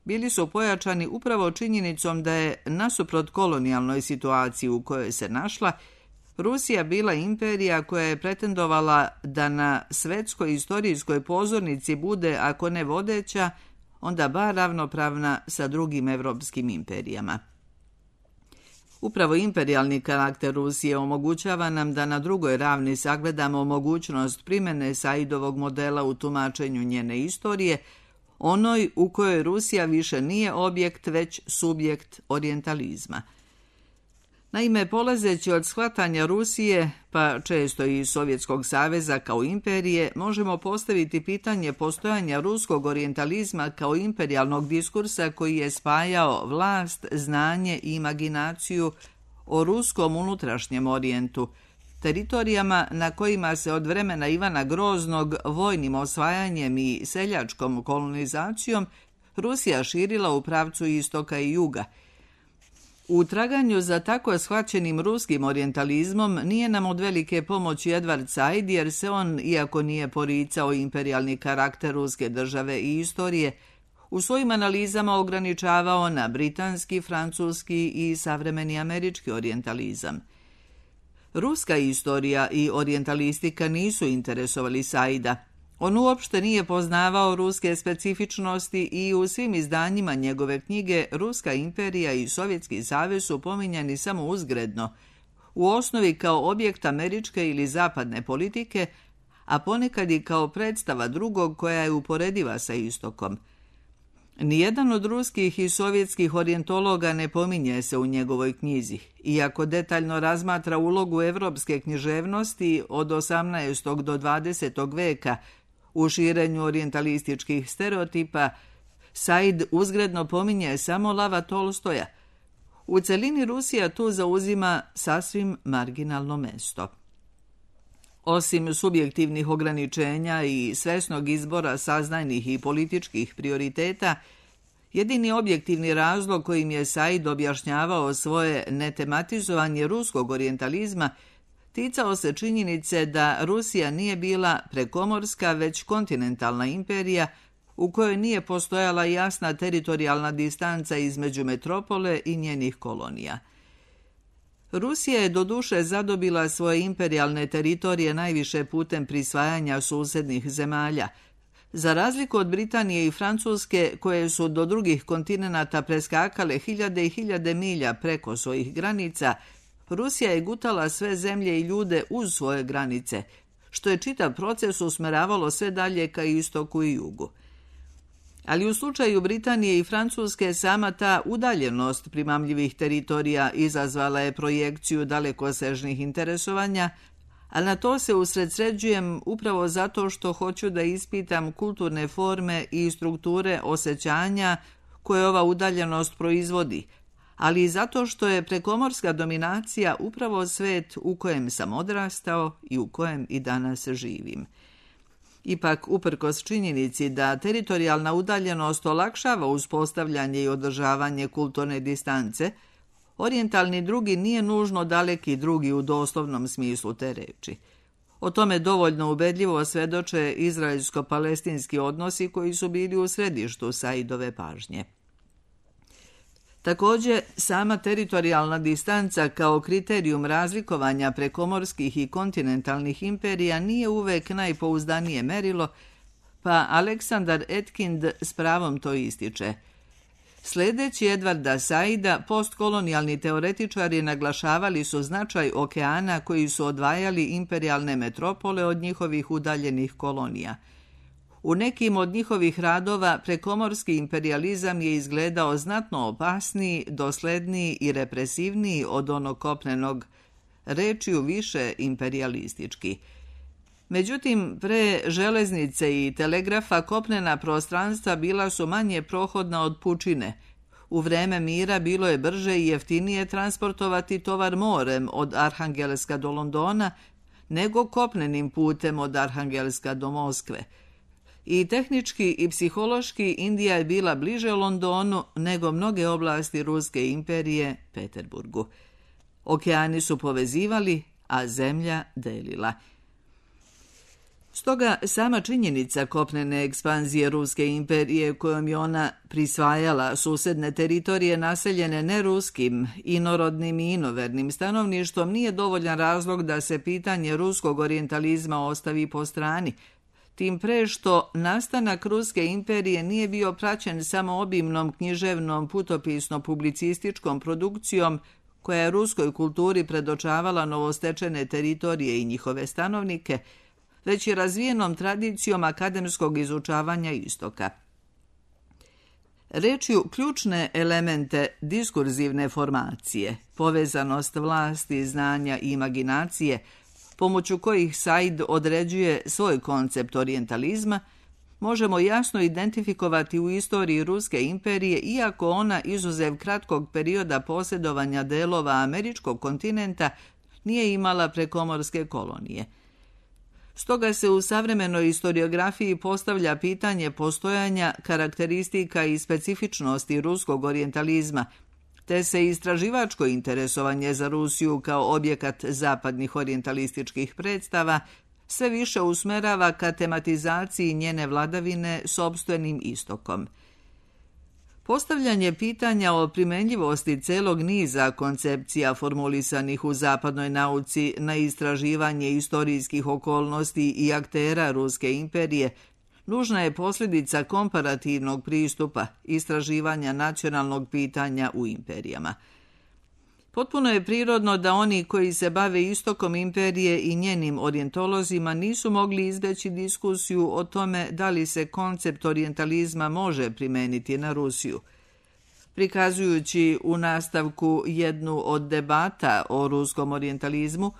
bili su pojačani upravo činjenicom da je, nasuprot kolonijalnoj situaciji u kojoj se našla, Rusija bila imperija koja je pretendovala da na svetskoj istorijskoj pozornici bude, ako ne vodeća, onda bar ravnopravna sa drugim evropskim imperijama. Upravo imperijalni karakter Rusije omogućava nam da na drugoj ravni sagledamo mogućnost primjene Saidovog modela u tumačenju njene istorije, onoj u kojoj Rusija više nije objekt, već subjekt orijentalizma. Naime, polazeći od shvatanja Rusije, pa često i Sovjetskog saveza kao imperije, možemo postaviti pitanje postojanja ruskog orijentalizma kao imperijalnog diskursa koji je spajao vlast, znanje i imaginaciju o ruskom unutrašnjem orijentu, teritorijama na kojima se od vremena Ivana Groznog vojnim osvajanjem i seljačkom kolonizacijom Rusija širila u pravcu istoka i juga. U traganju za tako shvaćenim ruskim orijentalizmom nije nam od velike pomoći Edward Said, jer se on, iako nije poricao imperijalni karakter ruske države i istorije, u svojim analizama ograničavao na britanski, francuski i savremeni američki orijentalizam. Ruska istorija i orijentalistika nisu interesovali Saida. On uopšte nije poznavao ruske specifičnosti i u svim izdanjima njegove knjige Ruska imperija i Sovjetski savez su pominjani samo uzgredno, u osnovi kao objekt američke ili zapadne politike, a ponekad i kao predstava drugog koja je uporediva sa istokom. Nijedan od ruskih i sovjetskih orijentologa ne pominje se u njegovoj knjizi, iako detaljno razmatra ulogu evropske književnosti od 18. do 20. veka u širenju orijentalističkih stereotipa. Said uzgredno pominje samo Lava Tolstoja. U celini Rusija tu zauzima sasvim marginalno mesto. Osim subjektivnih ograničenja i svesnog izbora saznajnih i političkih prioriteta, jedini objektivni razlog kojim je Said objašnjavao svoje netematizovanje ruskog orijentalizma ticao se činjenice da Rusija nije bila prekomorska, već kontinentalna imperija u kojoj nije postojala jasna teritorijalna distanca između metropole i njenih kolonija. Rusija je doduše zadobila svoje imperijalne teritorije najviše putem prisvajanja susednih zemalja. Za razliku od Britanije i Francuske, koje su do drugih kontinenata preskakale hiljade i hiljade milja preko svojih granica, Rusija je gutala sve zemlje i ljude uz svoje granice, što je čitav proces usmeravalo sve dalje ka istoku i jugu. Ali u slučaju Britanije i Francuske sama ta udaljenost primamljivih teritorija izazvala je projekciju dalekosežnih interesovanja, a na to se usredsređujem upravo zato što hoću da ispitam kulturne forme i strukture osjećanja koje ova udaljenost proizvodi, ali i zato što je prekomorska dominacija upravo svet u kojem sam odrastao i u kojem i danas živim. Ipak, uprkos činjenici da teritorijalna udaljenost olakšava uspostavljanje i održavanje kulturne distance, orijentalni drugi nije nužno daleki drugi u doslovnom smislu te reči. O tome dovoljno ubedljivo svedoče izraelsko-palestinski odnosi koji su bili u središtu Saidove pažnje. Također, sama teritorijalna distanca kao kriterijum razlikovanja prekomorskih i kontinentalnih imperija nije uvek najpouzdanije merilo, pa Aleksandar Etkind s pravom to ističe. Sledeći Edvarda Saida, postkolonijalni teoretičari naglašavali su značaj okeana koji su odvajali imperijalne metropole od njihovih udaljenih kolonija. U nekim od njihovih radova prekomorski imperializam je izgledao znatno opasniji, dosledniji i represivniji od onog kopnenog, rečju više imperialistički. Međutim, pre železnice i telegrafa kopnena prostranstva bila su manje prohodna od pučine. U vreme mira bilo je brže i jeftinije transportovati tovar morem od Arhangelska do Londona nego kopnenim putem od Arhangelska do Moskve. I tehnički i psihološki Indija je bila bliže Londonu nego mnoge oblasti Ruske imperije Peterburgu. Okeani su povezivali, a zemlja delila. Stoga sama činjenica kopnene ekspanzije Ruske imperije kojom je ona prisvajala susedne teritorije naseljene neruskim, inorodnim i inovernim stanovništvom nije dovoljan razlog da se pitanje ruskog orijentalizma ostavi po strani, tim pre što nastanak Ruske imperije nije bio praćen samo obimnom književnom putopisno-publicističkom produkcijom koja je ruskoj kulturi predočavala novostečene teritorije i njihove stanovnike, već i razvijenom tradicijom akademskog izučavanja istoka. Rečju ključne elemente diskurzivne formacije, povezanost vlasti, znanja i imaginacije, pomoću kojih Said određuje svoj koncept orijentalizma, možemo jasno identifikovati u istoriji Ruske imperije, iako ona, izuzev kratkog perioda posjedovanja delova američkog kontinenta, nije imala prekomorske kolonije. Stoga se u savremenoj historiografiji postavlja pitanje postojanja karakteristika i specifičnosti ruskog orijentalizma, te se istraživačko interesovanje za Rusiju kao objekat zapadnih orijentalističkih predstava sve više usmerava ka tematizaciji njene vladavine sopstvenim istokom. Postavljanje pitanja o primenljivosti celog niza koncepcija formulisanih u zapadnoj nauci na istraživanje istorijskih okolnosti i aktera Ruske imperije nužna je posljedica komparativnog pristupa istraživanja nacionalnog pitanja u imperijama. Potpuno je prirodno da oni koji se bave istokom imperije i njenim orijentolozima nisu mogli izbeći diskusiju o tome da li se koncept orijentalizma može primeniti na Rusiju. Prikazujući u nastavku jednu od debata o ruskom orijentalizmu,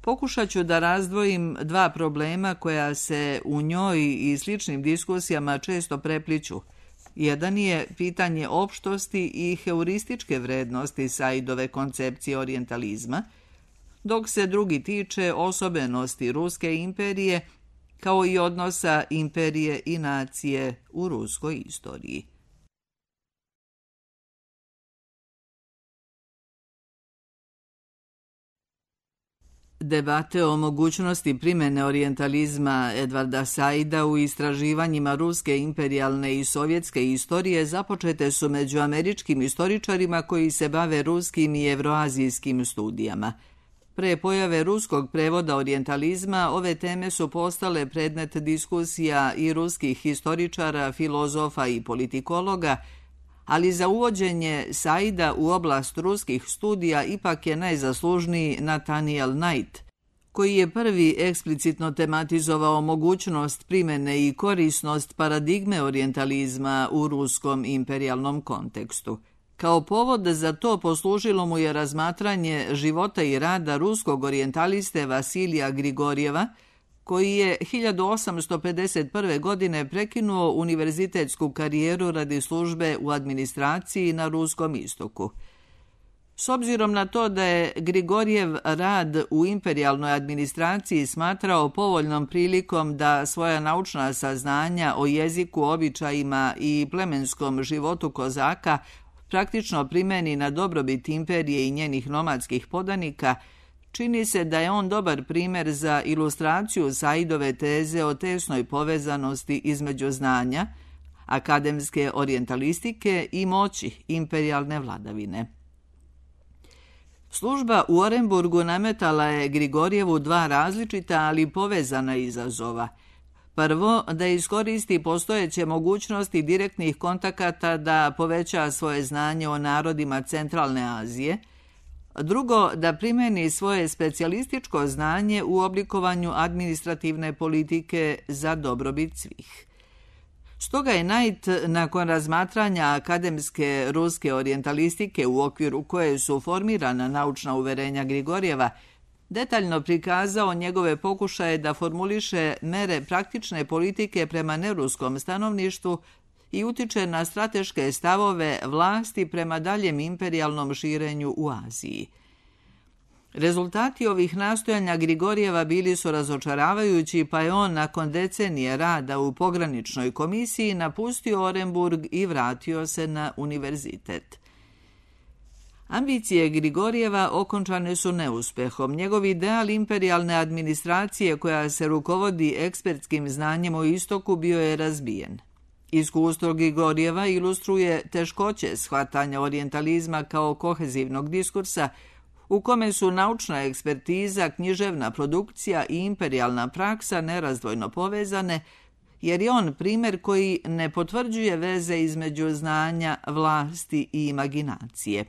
pokušat ću da razdvojim dva problema koja se u njoj i sličnim diskusijama često prepliću. Jedan je pitanje opštosti i heurističke vrednosti Saidove koncepcije orijentalizma, dok se drugi tiče osobenosti Ruske imperije kao i odnosa imperije i nacije u ruskoj istoriji. Debate o mogućnosti primjene orijentalizma Edvarda Saida u istraživanjima ruske imperijalne i sovjetske istorije započete su među američkim istoričarima koji se bave ruskim i evroazijskim studijama. Pre pojave ruskog prevoda orijentalizma ove teme su postale predmet diskusija i ruskih historičara, filozofa i politikologa, ali za uvođenje Saida u oblast ruskih studija ipak je najzaslužniji Nathaniel Knight, koji je prvi eksplicitno tematizovao mogućnost primjene i korisnost paradigme orijentalizma u ruskom imperijalnom kontekstu. Kao povod za to poslužilo mu je razmatranje života i rada ruskog orijentaliste Vasilija Grigorjeva, koji je 1851. godine prekinuo univerzitetsku karijeru radi službe u administraciji na Ruskom istoku. S obzirom na to da je Grigorjev rad u imperijalnoj administraciji smatrao povoljnom prilikom da svoja naučna saznanja o jeziku, običajima i plemenskom životu kozaka praktično primeni na dobrobit imperije i njenih nomadskih podanika, čini se da je on dobar primjer za ilustraciju Saidove teze o tesnoj povezanosti između znanja, akademske orijentalistike i moći imperijalne vladavine. Služba u Orenburgu nametala je Grigorjevu dva različita, ali povezana izazova. Prvo, da iskoristi postojeće mogućnosti direktnih kontakata da poveća svoje znanje o narodima Centralne Azije. Drugo, da primjeni svoje specijalističko znanje u oblikovanju administrativne politike za dobrobit svih. Stoga je Knight, nakon razmatranja akademske ruske orijentalistike u okviru koje su formirana naučna uverenja Grigorjeva, detaljno prikazao njegove pokušaje da formuliše mere praktične politike prema neruskom stanovništvu i utiče na strateške stavove vlasti prema daljem imperijalnom širenju u Aziji. Rezultati ovih nastojanja Grigorjeva bili su razočaravajući, pa je on nakon decenije rada u pograničnoj komisiji napustio Orenburg i vratio se na univerzitet. Ambicije Grigorjeva okončane su neuspehom. Njegov ideal imperijalne administracije koja se rukovodi ekspertskim znanjem o istoku bio je razbijen. Iskustvo Grigorjeva ilustruje teškoće shvatanja orijentalizma kao kohezivnog diskursa u kome su naučna ekspertiza, književna produkcija i imperijalna praksa nerazdvojno povezane, jer je on primjer koji ne potvrđuje veze između znanja, vlasti i imaginacije.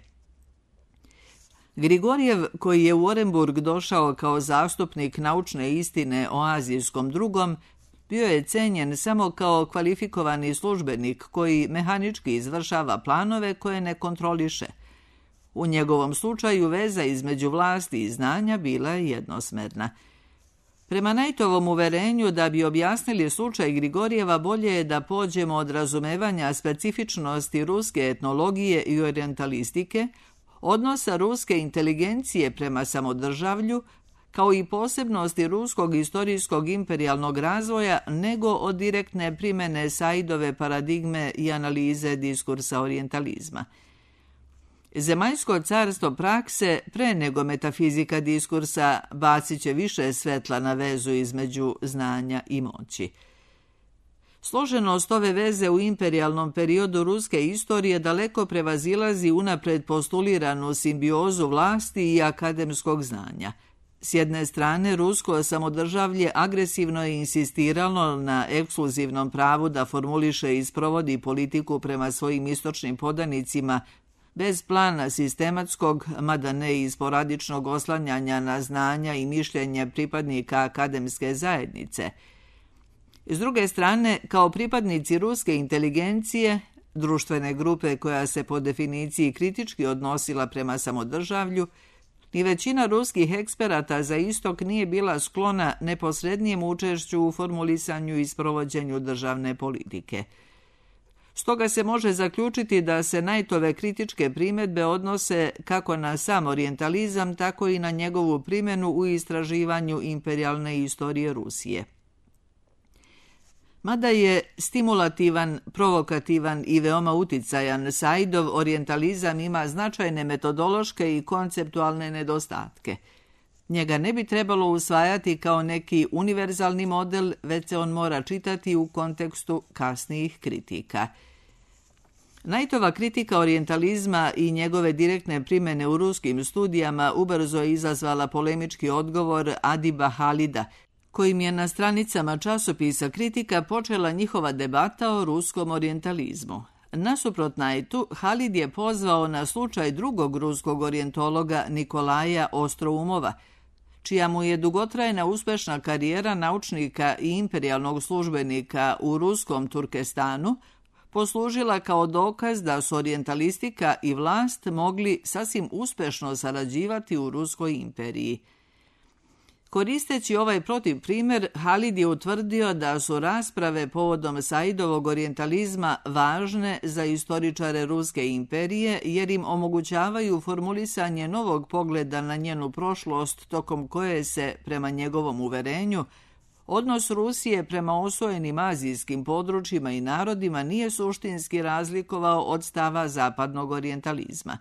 Grigorjev, koji je u Orenburg došao kao zastupnik naučne istine o azijskom drugom, bio je cenjen samo kao kvalifikovani službenik koji mehanički izvršava planove koje ne kontroliše. U njegovom slučaju veza između vlasti i znanja bila je jednosmerna. Prema Knightovom uverenju, da bi objasnili slučaj Grigorjeva, bolje je da pođemo od razumevanja specifičnosti ruske etnologije i orijentalistike, odnosa ruske inteligencije prema samodržavlju, kao i posebnosti ruskog istorijskog imperijalnog razvoja, nego od direktne primjene Saidove paradigme i analize diskursa orijentalizma. Zemaljsko carstvo prakse, pre nego metafizika diskursa, bacit će više svetla na vezu između znanja i moći. Složenost ove veze u imperijalnom periodu ruske istorije daleko prevazilazi unapred postuliranu simbiozu vlasti i akademskog znanja. S jedne strane, rusko samodržavlje agresivno je insistiralo na ekskluzivnom pravu da formuliše i sprovodi politiku prema svojim istočnim podanicima bez plana sistematskog, mada ne i sporadičnog oslanjanja na znanja i mišljenje pripadnika akademske zajednice. S druge strane, kao pripadnici ruske inteligencije, društvene grupe koja se po definiciji kritički odnosila prema samodržavlju, ni većina ruskih eksperata za istok nije bila sklona neposrednijem učešću u formulisanju i sprovođenju državne politike. Stoga se može zaključiti da se Knightove kritičke primjedbe odnose kako na sam orijentalizam, tako i na njegovu primjenu u istraživanju imperijalne istorije Rusije. Mada je stimulativan, provokativan i veoma uticajan, Saidov orijentalizam ima značajne metodološke i konceptualne nedostatke. Njega ne bi trebalo usvajati kao neki univerzalni model, već se on mora čitati u kontekstu kasnijih kritika. Knightova kritika orijentalizma i njegove direktne primjene u ruskim studijama ubrzo je izazvala polemički odgovor Adiba Halida, kojim je na stranicama časopisa Kritika počela njihova debata o ruskom orijentalizmu. Nasuprot Knightu, Halid je pozvao na slučaj drugog ruskog orijentologa Nikolaja Ostroumova, čija mu je dugotrajna uspešna karijera naučnika i imperijalnog službenika u ruskom Turkestanu poslužila kao dokaz da su orijentalistika i vlast mogli sasvim uspešno sarađivati u Ruskoj imperiji. Koristeći ovaj protiv primjer, Halid je utvrdio da su rasprave povodom Saidovog orijentalizma važne za istoričare Ruske imperije jer im omogućavaju formulisanje novog pogleda na njenu prošlost tokom koje se, prema njegovom uverenju, odnos Rusije prema osvojenim azijskim područjima i narodima nije suštinski razlikovao od stava zapadnog orijentalizma.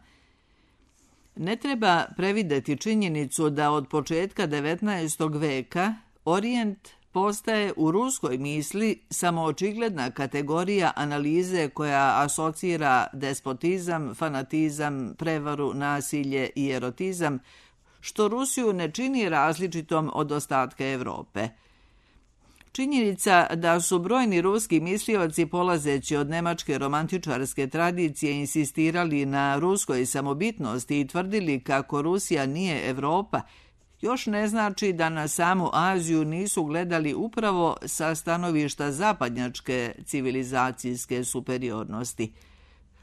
Ne treba prevideti činjenicu da od početka 19. veka Orijent postaje u ruskoj misli samo očigledna kategorija analize koja asocira despotizam, fanatizam, prevaru, nasilje i erotizam, što Rusiju ne čini različitom od ostatka Evrope. Činjenica da su brojni ruski mislioci polazeći od nemačke romantičarske tradicije insistirali na ruskoj samobitnosti i tvrdili kako Rusija nije Evropa, još ne znači da na samu Aziju nisu gledali upravo sa stanovišta zapadnjačke civilizacijske superiornosti.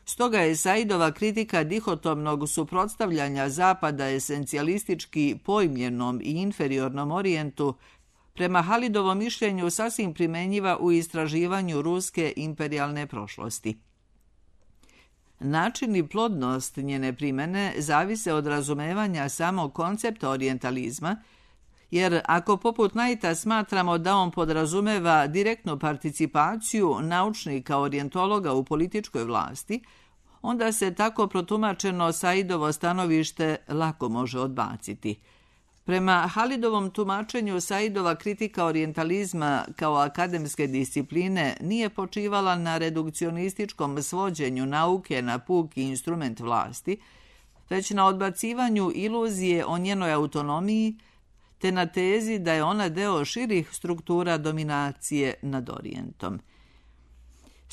Stoga je Saidova kritika dihotomnog suprotstavljanja Zapada esencijalistički pojmljenom i inferiornom Orijentu prema Halidovom mišljenju sasvim primenjiva u istraživanju ruske imperijalne prošlosti. Način i plodnost njene primene zavise od razumevanja samog koncepta orijentalizma, jer ako poput Knighta smatramo da on podrazumeva direktnu participaciju naučnika orijentologa u političkoj vlasti, onda se tako protumačeno Saidovo stanovište lako može odbaciti. Prema Halidovom tumačenju, Saidova kritika orijentalizma kao akademske discipline nije počivala na redukcionističkom svođenju nauke na puki instrument vlasti, već na odbacivanju iluzije o njenoj autonomiji, te na tezi da je ona deo širih struktura dominacije nad Orijentom.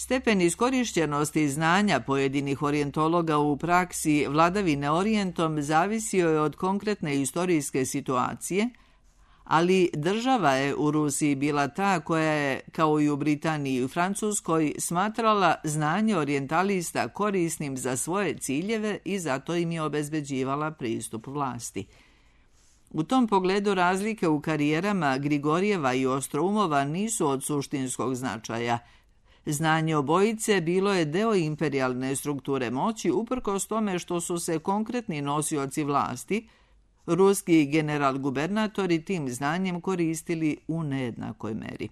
Stepen iskorišćenosti znanja pojedinih orijentologa u praksi vladavine Orijentom zavisio je od konkretne istorijske situacije, ali država je u Rusiji bila ta koja je, kao i u Britaniji i u Francuskoj, smatrala znanje orijentalista korisnim za svoje ciljeve i zato im je obezbeđivala pristup vlasti. U tom pogledu razlike u karijerama Grigorijeva i Ostroumova nisu od suštinskog značaja. Znanje obojice bilo je deo imperijalne strukture moći uprkos tome što su se konkretni nosioci vlasti, ruski general-gubernatori, tim znanjem koristili u nejednakoj meri.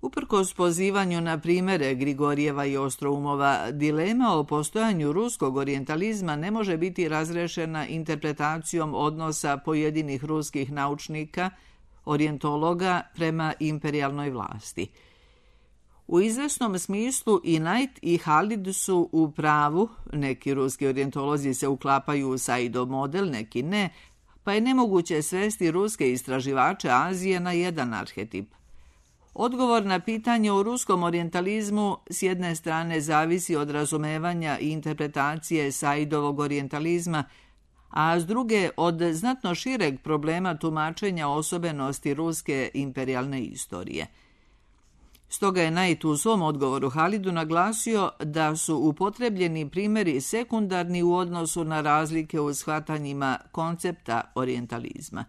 Uprkos pozivanju na primere Grigorijeva i Ostroumova, dilema o postojanju ruskog orijentalizma ne može biti razrešena interpretacijom odnosa pojedinih ruskih naučnika, orijentologa prema imperijalnoj vlasti. U izvesnom smislu i Knight i Halid su u pravu, neki ruski orijentolozi se uklapaju u Saidov model, neki ne, pa je nemoguće svesti ruske istraživače Azije na jedan arhetip. Odgovor na pitanje o ruskom orijentalizmu s jedne strane zavisi od razumevanja i interpretacije Saidovog orijentalizma, a s druge od znatno šireg problema tumačenja osobenosti ruske imperijalne istorije. Stoga je Knight u svom odgovoru Halidu naglasio da su upotrebljeni primjeri sekundarni u odnosu na razlike u shvatanjima koncepta orijentalizma.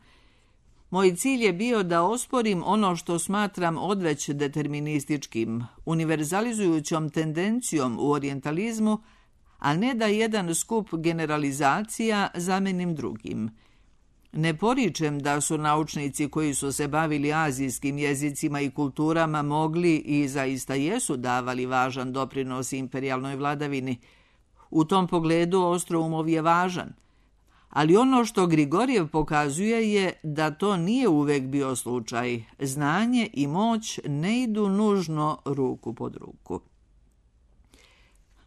Moj cilj je bio da osporim ono što smatram odveć determinističkim, univerzalizujućom tendencijom u orijentalizmu, a ne da jedan skup generalizacija zamenim drugim. Ne poričem da su naučnici koji su se bavili azijskim jezicima i kulturama mogli i zaista jesu davali važan doprinos imperijalnoj vladavini. U tom pogledu Ostroumov je važan. Ali ono što Grigorjev pokazuje je da to nije uvek bio slučaj. Znanje i moć ne idu nužno ruku pod ruku.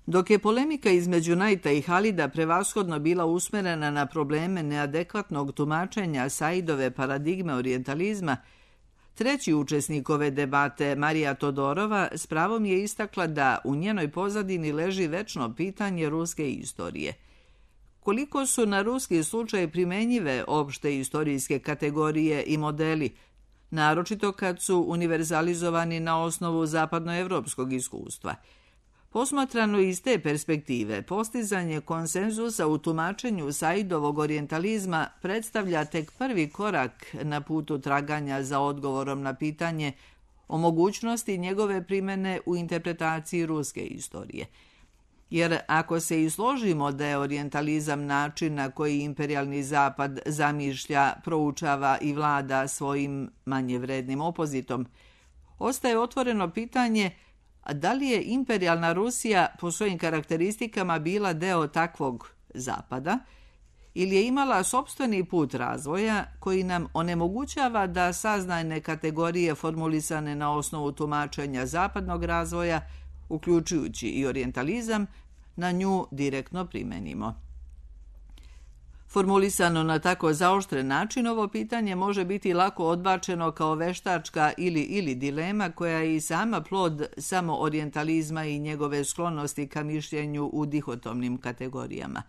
Dok je polemika između Knighta i Halida prevashodno bila usmerena na probleme neadekvatnog tumačenja Saidove paradigme orijentalizma, treći učesnik ove debate, Marija Todorova, s pravom je istakla da u njenoj pozadini leži večno pitanje ruske istorije. Koliko su na ruski slučaj primenjive opšte istorijske kategorije i modeli, naročito kad su univerzalizovani na osnovu zapadnoevropskog iskustva. Posmatrano iz te perspektive, postizanje konsenzusa u tumačenju Saidovog orijentalizma predstavlja tek prvi korak na putu traganja za odgovorom na pitanje o mogućnosti njegove primjene u interpretaciji ruske istorije. Jer ako se i složimo da je orijentalizam način na koji imperijalni zapad zamišlja, proučava i vlada svojim manje vrednim opozitom, ostaje otvoreno pitanje da li je imperijalna Rusija po svojim karakteristikama bila deo takvog zapada ili je imala sopstveni put razvoja koji nam onemogućava da saznajne kategorije formulisane na osnovu tumačenja zapadnog razvoja, uključujući i orijentalizam, na nju direktno primenimo. Formulisano na tako zaoštren način, ovo pitanje može biti lako odbačeno kao veštačka ili dilema koja je i sama plod samo orijentalizma i njegove sklonosti ka mišljenju u dihotomnim kategorijama.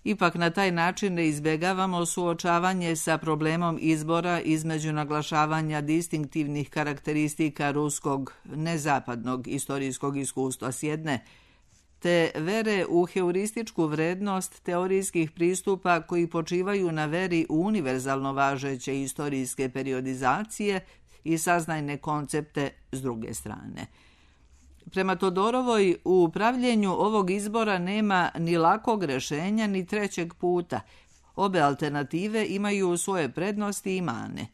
Ipak na taj način ne izbjegavamo suočavanje sa problemom izbora između naglašavanja distinktivnih karakteristika ruskog nezapadnog istorijskog iskustva s jedne, te vere u heurističku vrednost teorijskih pristupa koji počivaju na veri u univerzalno važeće istorijske periodizacije i saznajne koncepte s druge strane. Prema Todorovoj, u upravljenju ovog izbora nema ni lakog rešenja ni trećeg puta. Obe alternative imaju svoje prednosti i mane.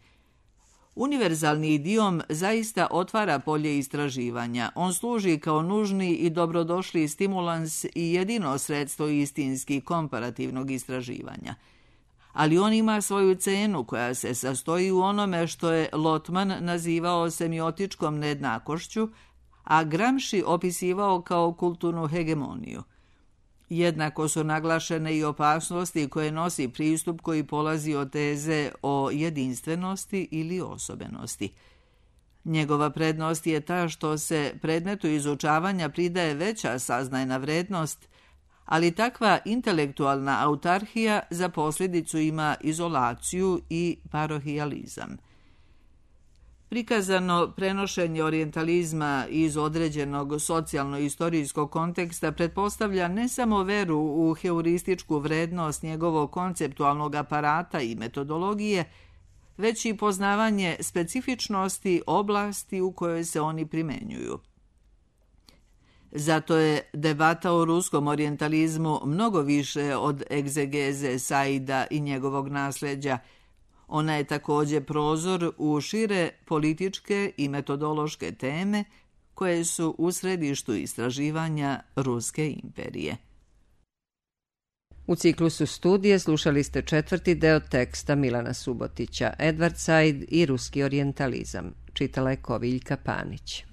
Univerzalni idiom zaista otvara polje istraživanja. On služi kao nužni i dobrodošli stimulans i jedino sredstvo istinski komparativnog istraživanja. Ali on ima svoju cenu koja se sastoji u onome što je Lotman nazivao semiotičkom nejednakošću, a Gramsci opisivao kao kulturnu hegemoniju. Jednako su naglašene i opasnosti koje nosi pristup koji polazi od teze o jedinstvenosti ili osobenosti. Njegova prednost je ta što se predmetu izučavanja pridaje veća saznajna vrednost, ali takva intelektualna autarhija za posljedicu ima izolaciju i parohijalizam. Prikazano prenošenje orijentalizma iz određenog socijalno-istorijskog konteksta pretpostavlja ne samo veru u heurističku vrednost njegovog konceptualnog aparata i metodologije, već i poznavanje specifičnosti oblasti u kojoj se oni primenjuju. Zato je debata o ruskom orijentalizmu mnogo više od egzegeze Saida i njegovog nasljeđa. Ona je također prozor u šire političke i metodološke teme koje su u središtu istraživanja Ruske imperije. U ciklusu studije slušali ste 4. deo teksta Milana Subotića, Edward Said i ruski orijentalizam. Čitala je Koviljka Panić.